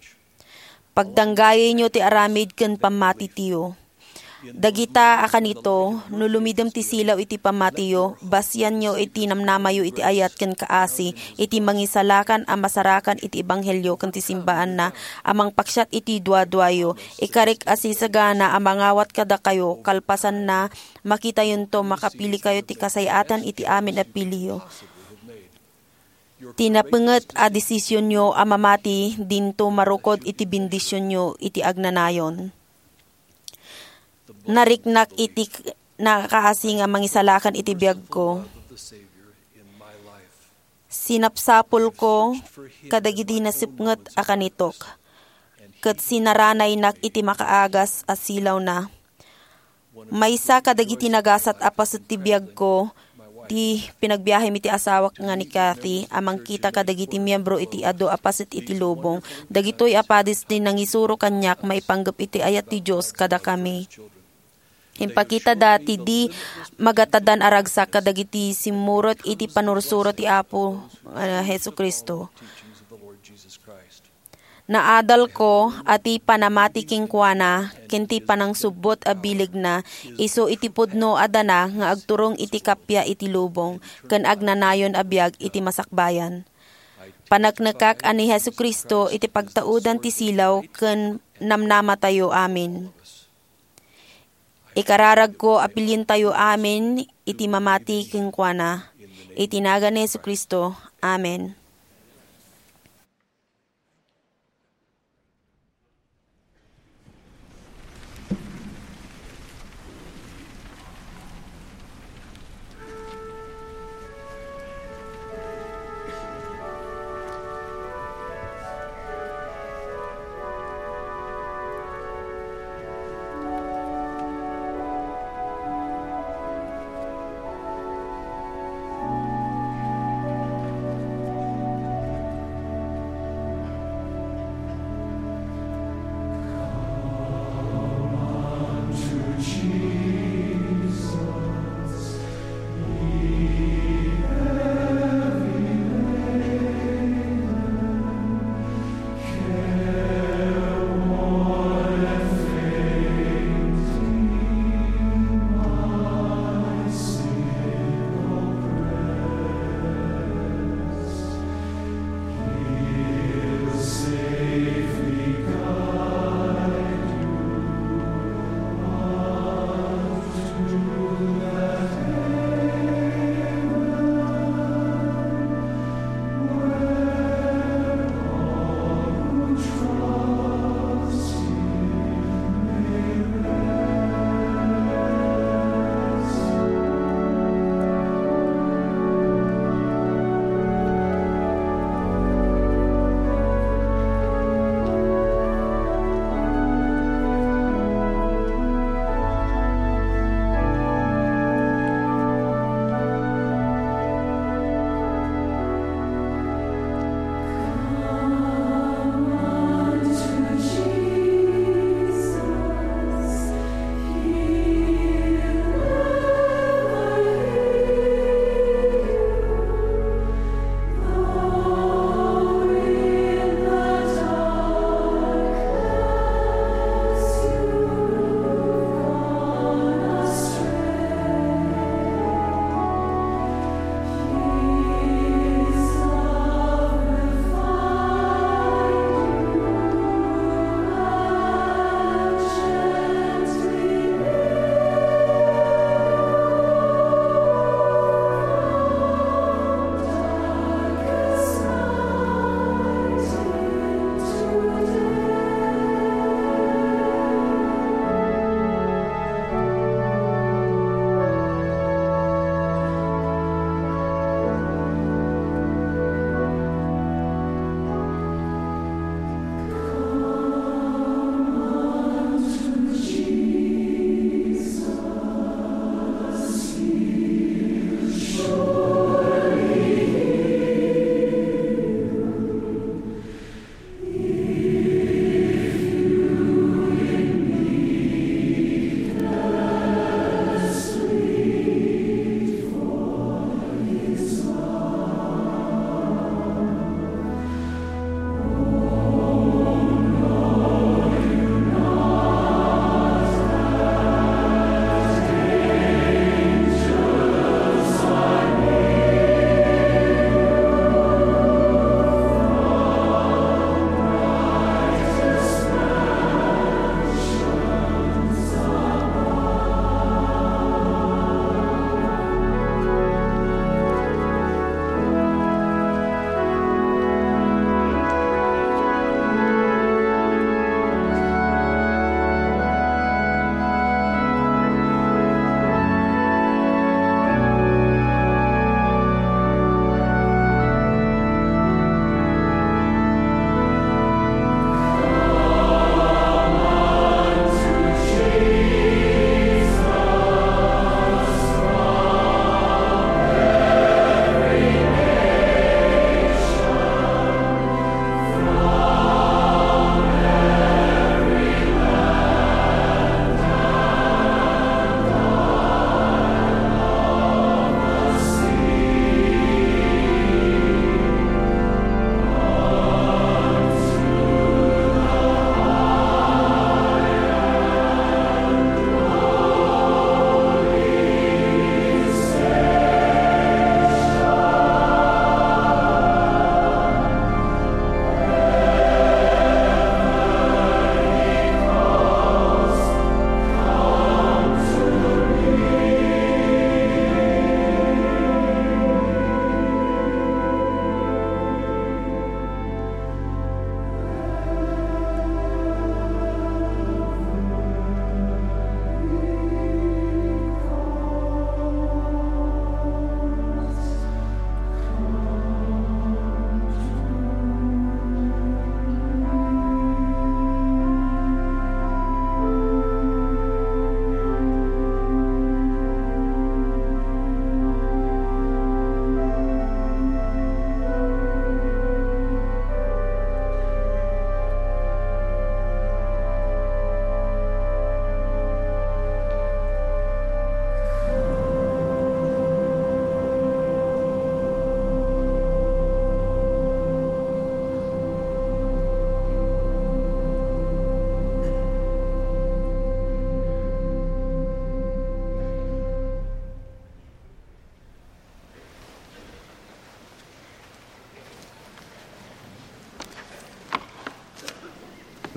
Pagdanggayayyo ti aramid ken pammatitayo. Dagita a kanito, no lumidem ti silaw iti pammatiyo, basianyo iti namnamayo iti ayat ken kaasi, iti mangisalakan a masarakan iti ebanghelio ken ti simbaanna, a mangpaksiat iti duaduayo. Ikarik a sisagana a mangawat kadakayo, kalpasanna, makitayonto makapilikayo ti kasay-atan iti amin a piliyo. Ti napenget a desisionyo a mamati dinto marukod iti bendisionyo iti agnanayon. Nariknak iti k-, nakaasi nga mangisalakan iti biagko. Sinapsapulko kadagiti nasipnget a kanitok, ket sinaranaynak iti makaagas a silawna. Maysa kadagiti nagasat a paset ti biagko, ti pinagbiahem iti asawak nga ni Kathy a mangkita kadagiti miyembro iti adu a paset iti lubong. Dagitoy a padis ti nangisuro kaniak maipanggep iti ayat ti Dios kadakami. Impakitada ti di magatadan a ragsak kadagiti simmurot iti panursuro ti Apo, ah, Jesu-Cristo. Naadalko a ti panamati kenkuana ken ti panangsubbot a bilegna isu iti pudno a dana nga agturong iti kappia iti lubong ken agnanayon a biag iti masakbayan. Paneknekak a ni Jesu-Cristo iti pagtaudan ti silaw ken namnamatayo amin. Ikararagko a pilientayo amin iti mamati kenkuana. Iti nagan ni Jesu-Cristo. Amen.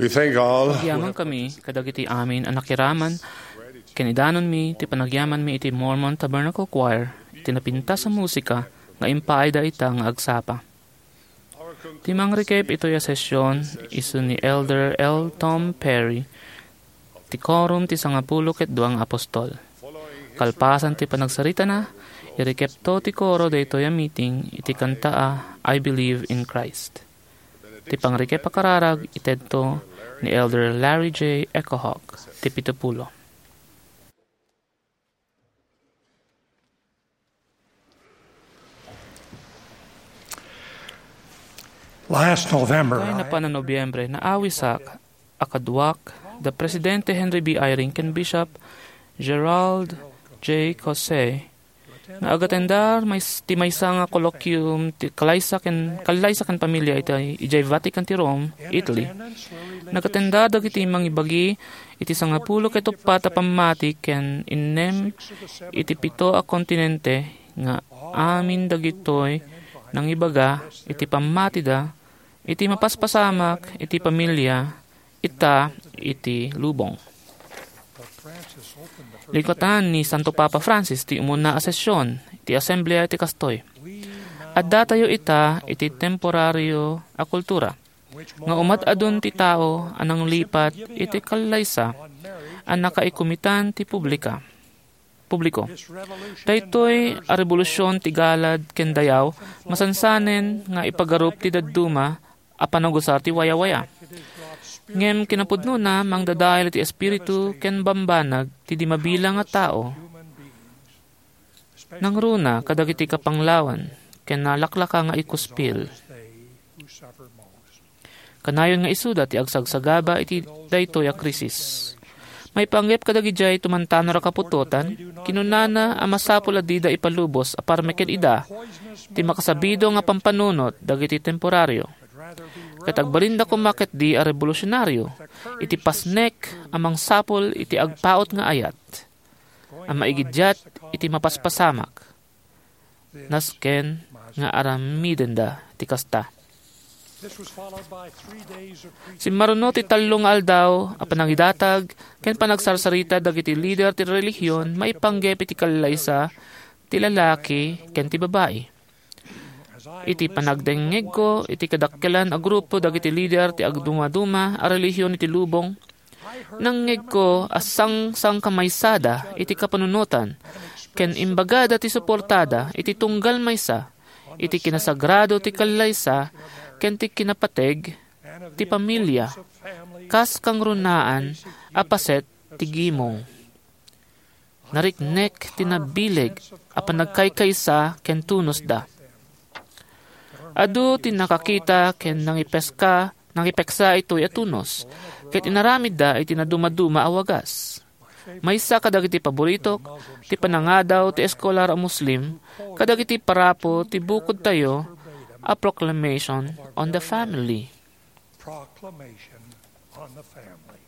We thank all. Agyaman kami kadagiti amin a nakiraman ken idanonmi ti panagyamanmi iti Mormon Tabernacle Choir iti napintas a musika nga impaayda ita nga agsapa. Ti mangrikep itoy a session isu ni Elder L. Tom Perry ti Quorum ti Sangapulo ket Dua nga Apostol. Kalpasan ti panagsaritana, irikepto ti koro daytoy a meeting iti kanta a I Believe in Christ. Ti pangrikep a kararag itedto ni Elder Larry J. Echo Hawk, ti pitupulo. Last November, Kay napan a Nobyembre, naawisak a kaduak da Presidente Henry B. Eyring ken Bishop Gerald J. Caussé nga agatendar mais-, ti maysa nga colloquium ti kalaysa ken, kallaysa ken pamilya iti, idiay Vatican ti Rome, Italy. Nagatendar dagiti mangibagi iti sangapulo ket uppat a pammati ken innem iti pito a kontinente nga amin dagitoy nangibaga iti pammatida iti mapaspasamak iti pamilya ita iti lubong. Likatan ni Santo Papa Francis ti umuna a session ti Asamblea iti kastoy. Addatayo ita iti temporario a kultura nga umad-adun ti tao a nanglipat iti kallaysa a nakaikumitan ti publika, publiko. Daytoy a rebolusion ti galad ken dayaw masansanen nga ipagarup ti dadduma a panagusar ti wayawaya. Ngem kinapudnona, mangdadael ti espiritu ken bambanag ti di mabilang a tao. Nangruna kadagiti kapanglawan ken nalaklaka nga ikuspil. Kanayon nga isuda ti agsagsagaba iti daytoy a krisis. Maipanggep kadagidiay tumantanor a kaputotan, kinunana a masapul a dida ipalubos a parmek ken ida ti makasabido nga pampanunot dagiti temporario. Ket agbalinda koma ketdi a rebolusionario iti pasnek a mangsapul iti agpaut nga ayat a maigidiat iti mapaspasamak. Nasken nga aramidenda ti kasta. Simmaruno ti tallo nga aldaw a panangidatag ken panagsarsarita dagiti lider ti relihion maipanggep iti kallaysa ti lalaki ken ti babai. Iti panagdengngegko iti kadakkelan a grupo dagiti lider ti agdumaduma a relihion iti lubong, nangngegko a sangsangkamaysada iti kapanunotan ken imbagada ti suportada iti tunggal maysa iti kinasagrado ti kallaysa ken ti kinapateg ti pamilya kas kangrunaan a paset ti gimong. Nariknek ti nabileg a panagkaykaysa ken tunosda. Adu ti nakakita ken nangipeska, nangipeksa itoy a tunos, ket inaramidda iti nadumaduma a wagas. Maysa kadagiti paboritok ti panangadaw ti eskolar a Muslim kadagiti parapo ti bukodtayo a Proclamation on the Family. Proclamation on the Family.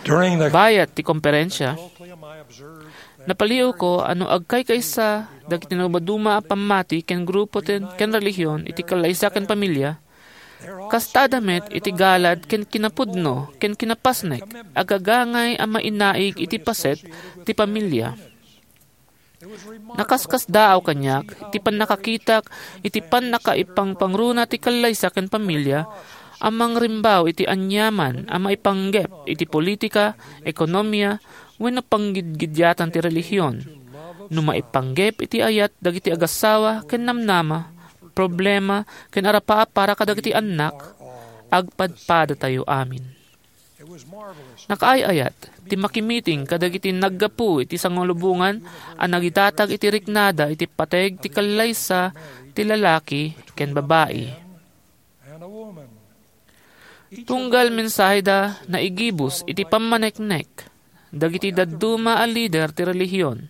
During the Bayat ti komperensia, colloquium, I observed that napaliwko a no agkaykaysa dagiti nadumaduma a pammati ken grupo ten, ken relihion iti kallaysa ken pamilya, kastada met iti galad ken kinapudno ken kinapasnek, agagangay a mainaig iti paset ti pamilya. Nakaskasdaaw kaniak ti pannakakitak iti pannakaipangpangruna ti kallaysa ken pamilya a mangrimbaw iti aniaman a maipanggep iti politika, ekonomia, wenno panggidgidiatan ti relihion. No maipanggep iti ayat dagiti agassawa ken namnama, problema, ken arapaap para kadagiti annak, agpadpadatayo amin. Nakaay-ayat ti makimiting kadagiti naggapu iti sangalubongan a nagitatag iti riknada iti pateg ti kallaysa ti lalaki ken babai. Tunggal mensaheda naigibus iti pammaneknek dagiti dadduma a lider ti relihion.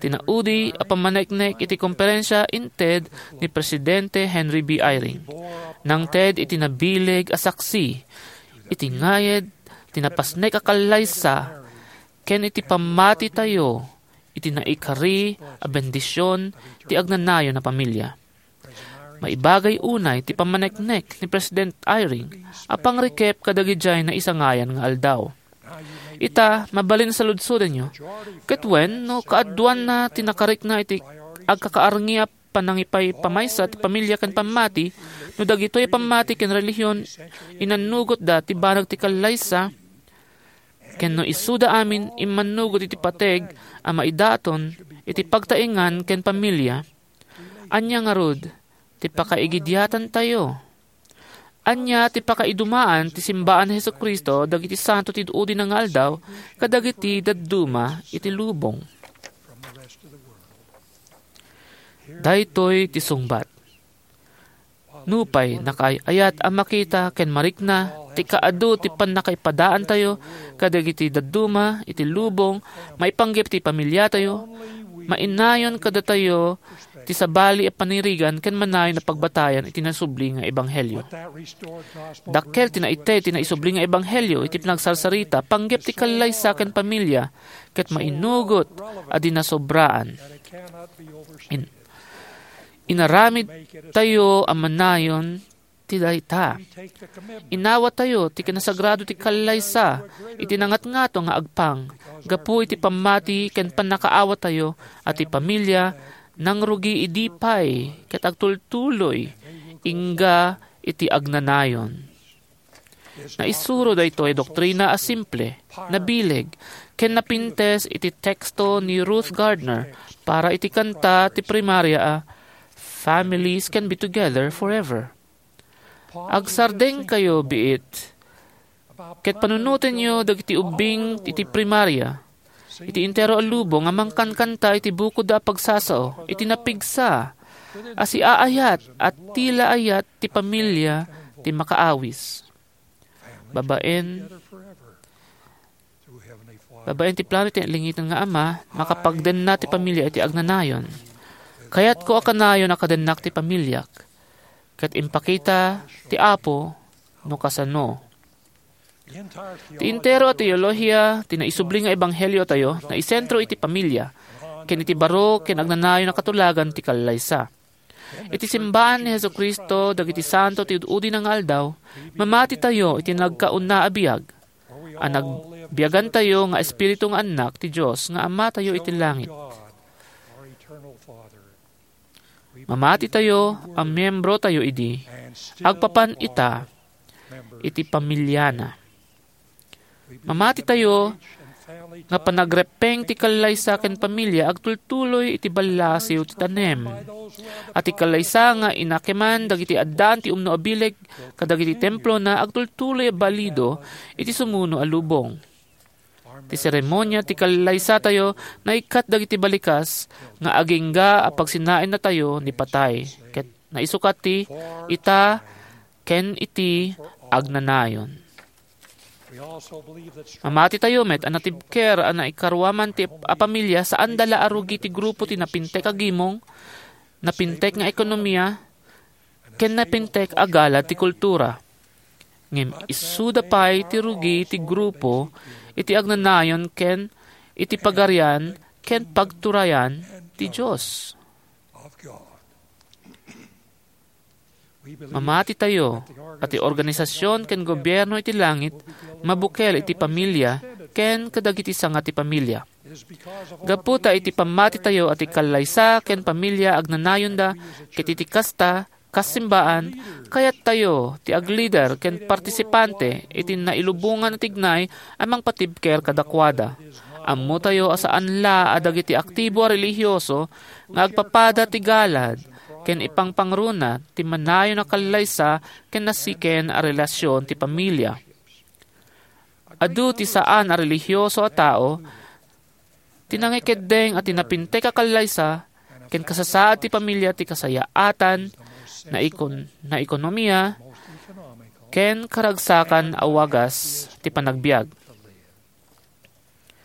Ti naudi a pammaneknek iti komperensia inted ni Presidente Henry B. Eyring. Nangted iti nabileg a saksi iti ngayed ti napasnek a kallaysa ken iti pammatitayo iti naikari a bendision ti agnanayon a pamilya. Maibagay unay ti pammaneknek ni President Eyring a pangrikep kadagidiay naisangayan nga aldaw. Ita, mabalin saludsodenyo, ket wen no kaaduanna ti nakarikna iti agkakaarngi a panangipaypamaysa ti pamilia ken pammati, no dagitoy a pammati ken relihion inannugotda ti banag ti kallaysa, ken no isuda amin immannugot iti pateg a maidaton iti pagtaengan ken pamilia, ania ngarud ti pakaigidiatantayo? Ania ti pakaidumaan ti simbaan ni Jesu-Cristo dagiti santo ti id-udina nga aldaw kadagiti dadduma iti lubong? Daytoy ti sungbat. Nupay nakaay-ayat a makita ken marikna ti kaadu ti pannakaipadaantayo kadagiti dadduma iti lubong maipanggep ti pamiliatayo, mainayon kadatayo ti sabali a panirigan ken manayon a pagbatayan iti nasubli nga ebanghelio. Dakkel ti naited ti naisubli nga ebanghelio iti panagsarsarita panggep ti kallaysa ken pamilia ket mainugot a di nasobraan. In-, inaramid tayo a manayon ti dayta. Inawat tayo ti kinasagrado ti kallaysa iti nangatngato nga agpang gapu iti pammati ken pannakaawat tayo a ti pamilia nangrugi idi pay ket agtultuloy ingga iti agnanayon. Naisuro daytoy doktrina a simple, nabileg, ken napintes iti teksto ni Ruth Gardner para iti kanta ti primaria a Families Can Be Together Forever. Agsardengkayo, biit, ket panunotenyo dagiti ubbing iti primaria, iti entero a lubong a mangkankanta iti bukodda a pagsasao iti napigsa a siaayat a ti la ayat ti pamilia ti makaawis. Babaen, babaen ti plano ti langiten nga Ama, makapagdenna ti pamilia iti agnanayon. Kayatko a kanayon a kadennak ti pamiliak, ket impakita ti Apo no kasano. Ti entero a teolohiya ti naisubli nga ebanghelio tayo naisentro iti pamilya, ken iti baro ken agnanayon a katulagan ti kallaysa. Iti simbaan ni Jesu-Cristo dagiti santo ti ud-udina nga aldaw, mamati tayo iti nagkauna a biag, a nagbiagantayo nga espiritu nga annak ti Dios nga Amatayo iti langit. Mamati tayo a miembro tayo idi, agpapan ita iti pamiliana. Mamati tayo nga panagreppeng ti kallaysa ken pamilya agtultuloy iti ballasiw ti tanem. A ti kallaysa nga inakeman dagiti addaan ti umno a bileg kadagiti templona agtultuloy a balido iti sumuno a lubong. Ti seremonia ti kallaysatayo naikkat dagiti balikas nga agingga a pagsinaennatayo ni patay, ket naisukat ti ita ken iti agnanayon. Mamati tayo met a natibker a naikaruaman ti a pamilya saanda la a rugi ti grupo ti napintek a gimong, napintek nga ekonomia, ken napintek a galad ti kultura. Ngem isuda pay ti rugi ti grupo iti agnanayon ken iti pagarian ken pagturayan ti Dios. Mamati tayo a ti organisasyon ken gobierno iti langit mabukel iti pamilya ken kadagiti sanga ti pamilya. Gapu ta iti pammati tayo a ti kallaysa ken pamilya agnanayonda ket iti kasta, kas simbaan, kayat tayo ti aglider ken partisipante iti nailubongan a tignay a mangpatibker kadakuada. Ammo tayo a saan la a dagiti aktibo a relihiyoso nga agpapada ti galad ken ipangpangruna ti manayon a kallaysa ken nasiken a relasyon ti pamilya. Adu ti saan a relihiyoso a tao ti nangikeddeng a ti napintek a kallaysa ken kasasaad ti pamilya ti kasayaatan, naikon-, naekonomia, ken karagsakan a wagas ti panagbiag.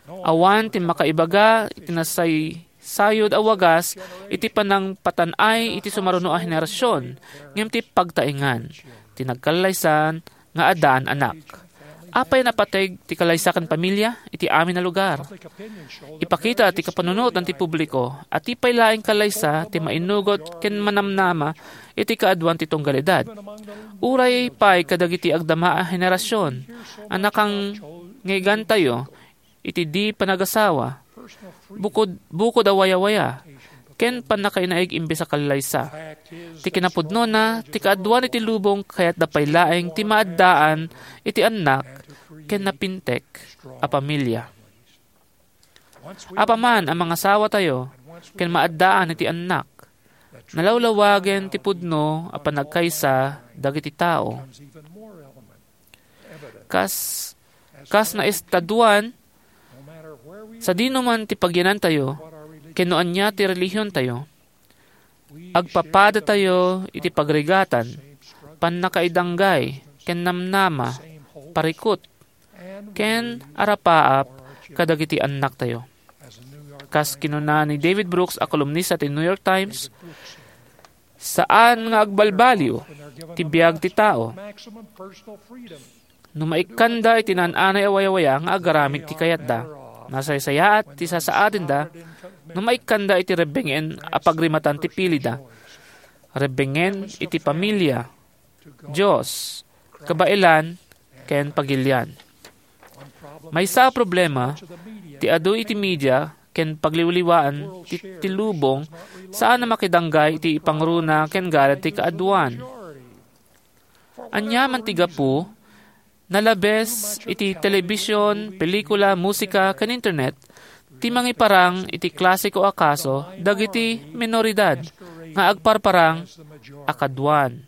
Awan ti makaibaga iti nasaysayod a wagas iti panangpatan-ay iti sumaruno a henerasyon, ngem ti pagtaengan ti nagkallaysan nga addaan anak. Apay a napateg ti kallaysa ken pamilia iti amin a lugar? Ipakita ti kapanunotan ti publiko a ti pay laeng kallaysa ti mainugot ken manamnama iti kaaduan ti tunggal edad. Uray pay kadagiti agdama a henerasion a nakangngegantayo iti di panagasawa, bukod, bukod a wayawaya, ken pannakainaig imbes a kallaysa. Ti kinapudnona, ti kaaduan iti lubong kayatda pay laeng ti maaddaan iti annak ken napintek a pamilia. Apaman a mangasawatayo ken maaddaan iti annak, nalawlawagen ti pudno a panagkaysa dagiti tao. Kas, kas naestaduan, sadino man ti pagyanantayo, ken no ania ti relihiontayo, agpapadatayo iti pagrigatan, pannakaidanggay, ken namnama, parikut, ken arapaap kadagiti annaktayo. Kas kinuna ni David Brooks a kolumnista ti New York Times, saan nga agbalbaliw ti biag ti tao no maikkanda iti naan-anay a wayawaya nga agaramid ti kayatda. Nasaysayaat ti sasaadenda no maikkanda iti rebbengen a pagrimatan ti pilida. Rebbengen iti pamilia, Dios, kabaelan, ken pagilian. Maysa a problema ti adu iti media ken pagliwliwaan ti, ti lubong saan a makidanggay iti ipangruna ken gayam ti kaaduan. Ania man ti gapu, nalabes iti telebision, pelikula, musika, ken internet ti mangiparang iti klasiko a kaso dagiti minoridad nga agparparang a kaduan.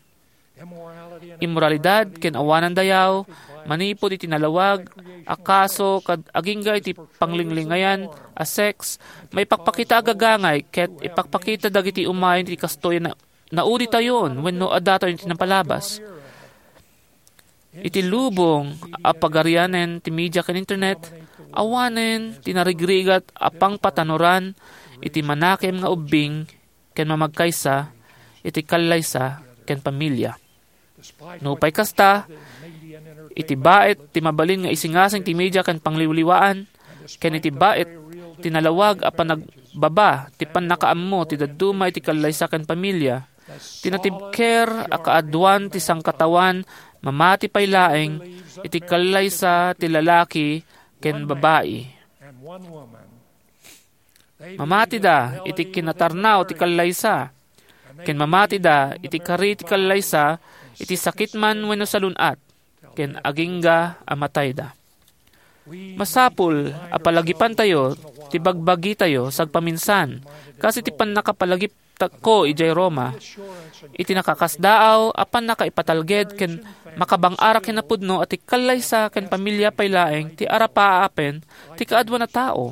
Immoralidad ken awanan dayaw manipud iti nalawag a kaso kad agingga iti panglinglingayan a sex, maipakpakita a gagangay ket ipakpakita dagiti umay ti kastoy a na-, nauditayon wenno addatayon iti napalabas. Iti lubong a pagarianen ti media ken internet, awanen ti narigrigat a pangpatanoran iti manakem nga ubbing ken mamagkaysa iti kallaysa ken pamilia. Nupay kasta, iti bait ti mabalin nga isingasing ti media ken pangliwliwaan, ken iti bait ti nalawag a panagbaba ti pannakaammo ti dadduma iti kallaysa ken pamilia, ti natibker a kaaduan ti sangkatawan mamati pay laeng iti kallaysa ti lalaki ken babai. Mamatida iti kinatarnaw ti kallaysa, ken mamatida iti kari ti kallaysa iti sakit man wenno salun-at, ken agingga a matayda. Masapul a palagipantayo ti bagbagitayo sagpaminsan, kas iti pannakapalagipko idiay Roma. Iti nakakasdaaw a pannakaipatalged ken makabang-arak kinapudno a ti kallaysa ken pamilia pay laeng ti arapaapen ti kaaduan a tao.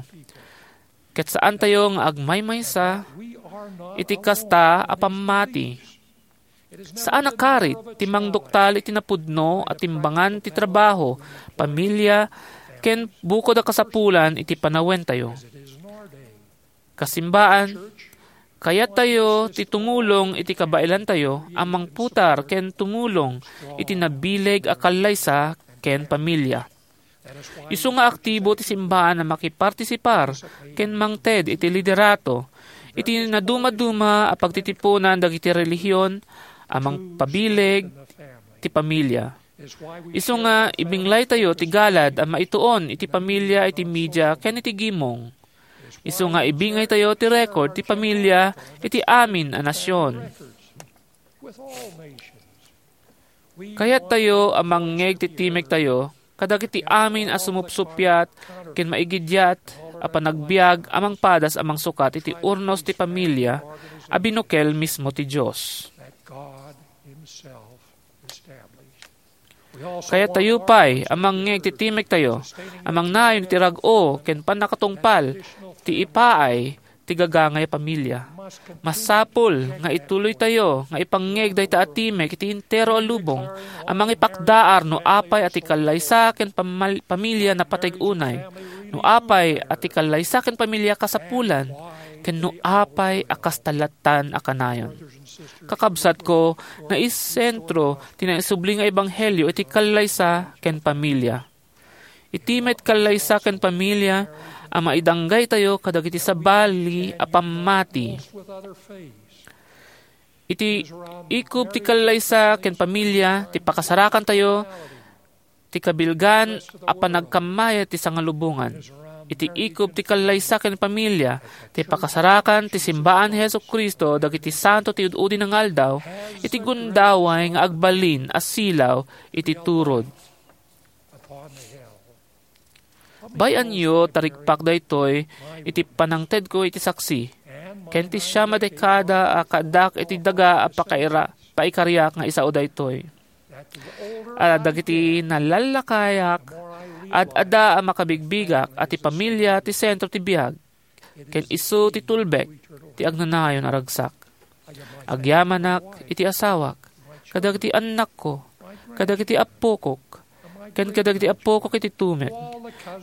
Ket saantayo nga agmaymaysa iti kasta a pammati. Saan a karit ti mangduktal iti napudno a timbangan ti trabaho, pamilia, ken bukod a kasapulan iti panawentayo. Kasimbaan, kayattayo ti tumulong iti kabaelantayo a mangputar ken tumulong iti nabileg a kallaysa ken pamilia. Isu nga aktibo ti simbaan a makipartisipar ken mangted iti liderato iti nadumaduma a pagtitipunan dagiti relihion a mangpabileg ti pamilia. Isu nga ibinglaytayo ti galad a maituon iti pamilia iti media ken iti gimong. Isu nga ibingaytayo ti record ti pamilia iti amin a nasion. Kayattayo a mangngeg ti timektayo kadagiti amin a sumupsuppiat ken maigidiat a panagbiag a mangpadas a mangsukat iti urnos ti pamilia a binukel mismo ti Dios. Kayattayo pay a mangngeg ti timektayo a mangnayon iti rag-o ken pannakatungpal ti ipaay ti gagangay a pamilia. Masapul nga ituloytayo nga ipangngeg dayta a timek iti entero a lubong a mangipakdaar no apay a ti kallaysa ken pamal-, pamilia napateg unay, no apay a ti kallaysa ken pamilia kasapulan, ken no apay a kasta lattan a kanayon. Kakabsatko, naisentro ti naisubli nga ebanghelio iti kallaysa ken pamilia. Iti met kallaysa ken pamilia a maidanggaytayo kadagiti sabali a pammati. Iti ikub ti kallaysa ken pamilia ti pakasarakantayo ti kabilgan a panagkammayat ti sangalubongan. Iti ikub ti kallaysa ken pamilia ti pakasarakan ti simbaan ni Jesu-Cristo dagiti santo ti ud-udi nga aldaw iti gundaway nga agbalin a silaw iti turod. Bay-anyo ta rikpak daytoy iti panangtedko iti saksi, ken ti siam a dekada a kaaddak iti daga a pakaira-, paikariak nga isao daytoy. A dagiti nalallakayak, ad-ada a makabigbigak a ti pamilia ti sentro ti biag, ken isu ti tulbek ti agnanayon a ragsak. Agyamanak iti asawak, kadagiti annakko, kadagiti appokok, ken kadagiti appokok iti tumet,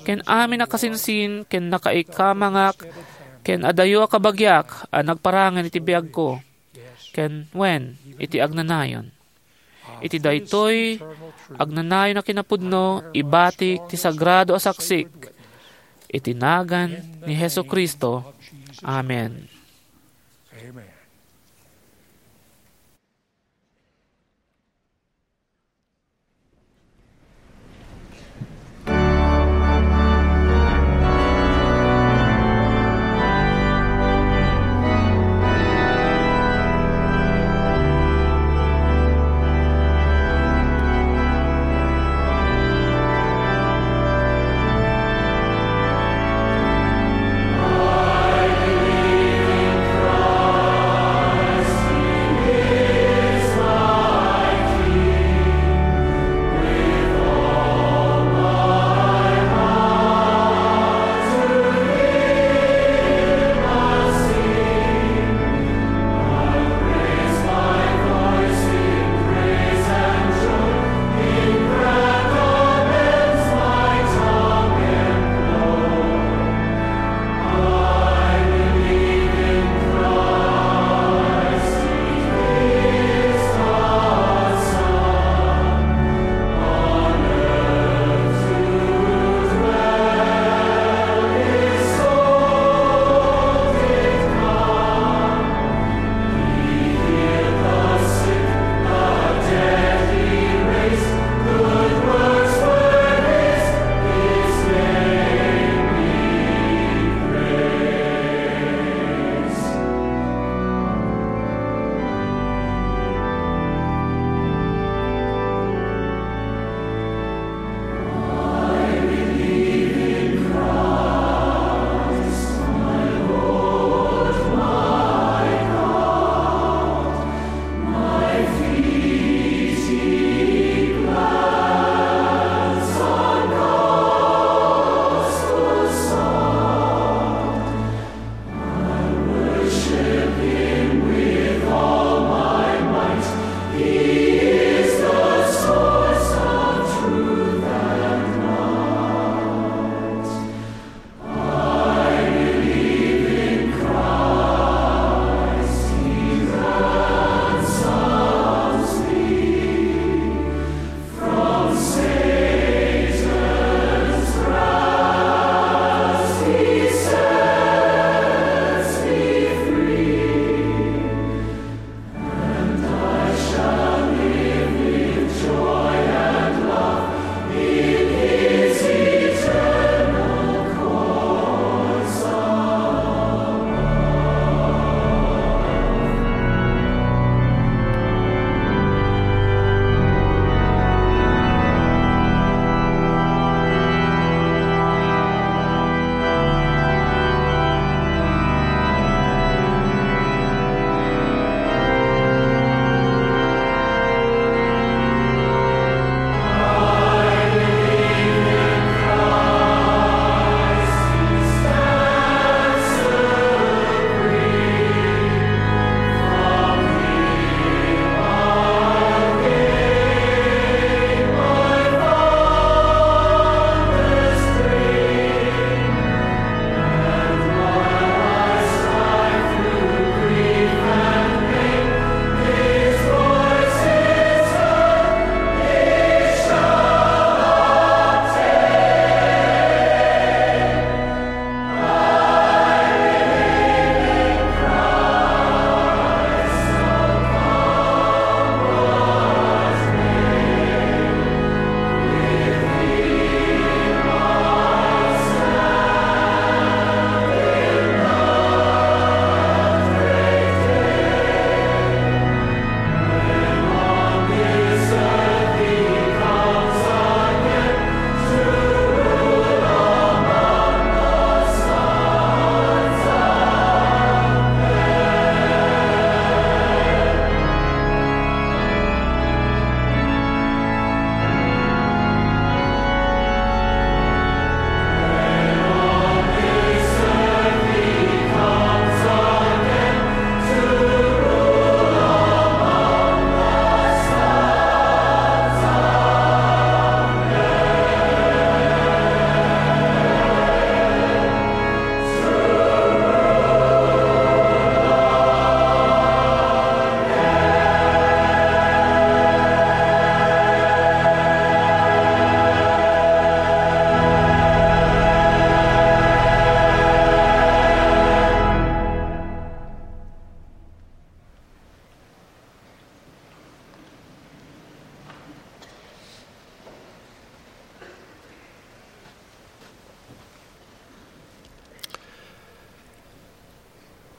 ken amin a kasinsin ken nakaikamangak, ken adayo a kabagiak a nagparangen iti biagko, ken wen, iti agnanayon. Iti daytoy agnanayon a kinapudno, ibatik ti sagrado a saksik iti nagan ni Jesu-Cristo. Amen.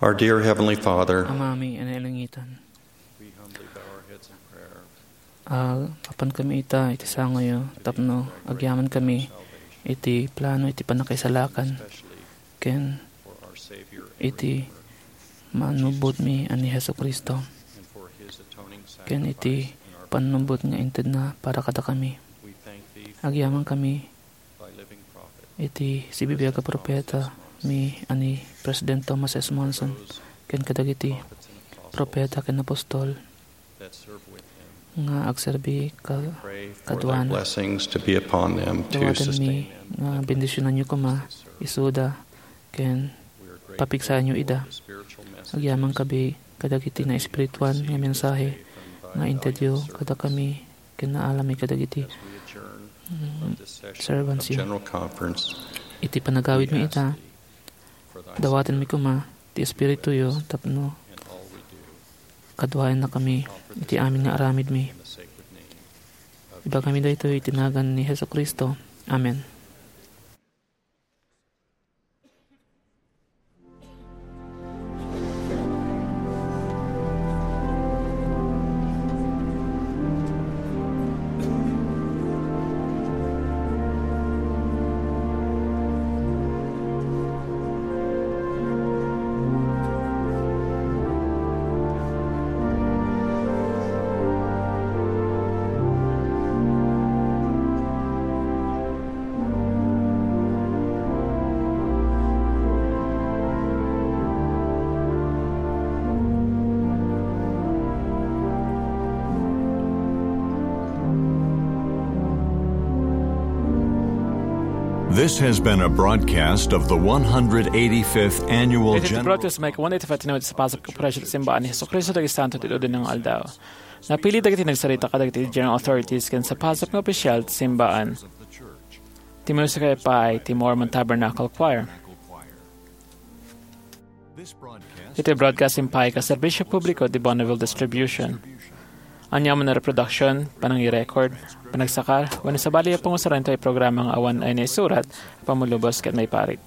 Our dear Heavenly Father, Amami a nailangitan. We humbly bow our heads in prayer. Ah, apan kami ita iti sangoyo tapno agyaman kami iti plano iti pannakaisalakan ken iti manubodmi a ni Jesu-Cristo ken iti pannubot nga intedna para kadakami. Agyaman kami iti sibibiag a propeta mi a ni President Thomas S. Monson ken kadagiti propeta ken apostol nga agserbi ka-, kaduana. Blessings to be upon them to sustain them. Dawatenmi nga bendisionanyo koma isuda ken papigsaanyo ida. Agyaman kami kadagiti naespirituan nga mensahe nga intedyo kadakami ken naalami kadagiti, mm, servantsyo. Iti panagawidmi ita, dawatenmi koma ti Espirituyo tapno kaduaenna kami iti amin nga aramidmi. Ibagami daytoy iti nagan ni Jesu-Cristo. Amen. This has been a broadcast of the one hundred eighty-fifth Annual Iti General broadcast, maikuan iti Fatima iti sapasap nga operasyon ti Simbaan ni Jesu-Cristo dagiti Santo ti Udinang Aldaw. Napili dagiti nagsarita kadagiti General Authorities ken sapasap nga opisyal ti Simbaan. Ti musika pay ti Mormon Tabernacle Choir. Iti broadcasting pay ket serbisyo publiko ti Bonneville Distribution. Ania man a reproduction, panangirecord, panagsakar, wenno sabali a pangusaran iti programa nga awan a naisurat, pammulubos ket maiparit.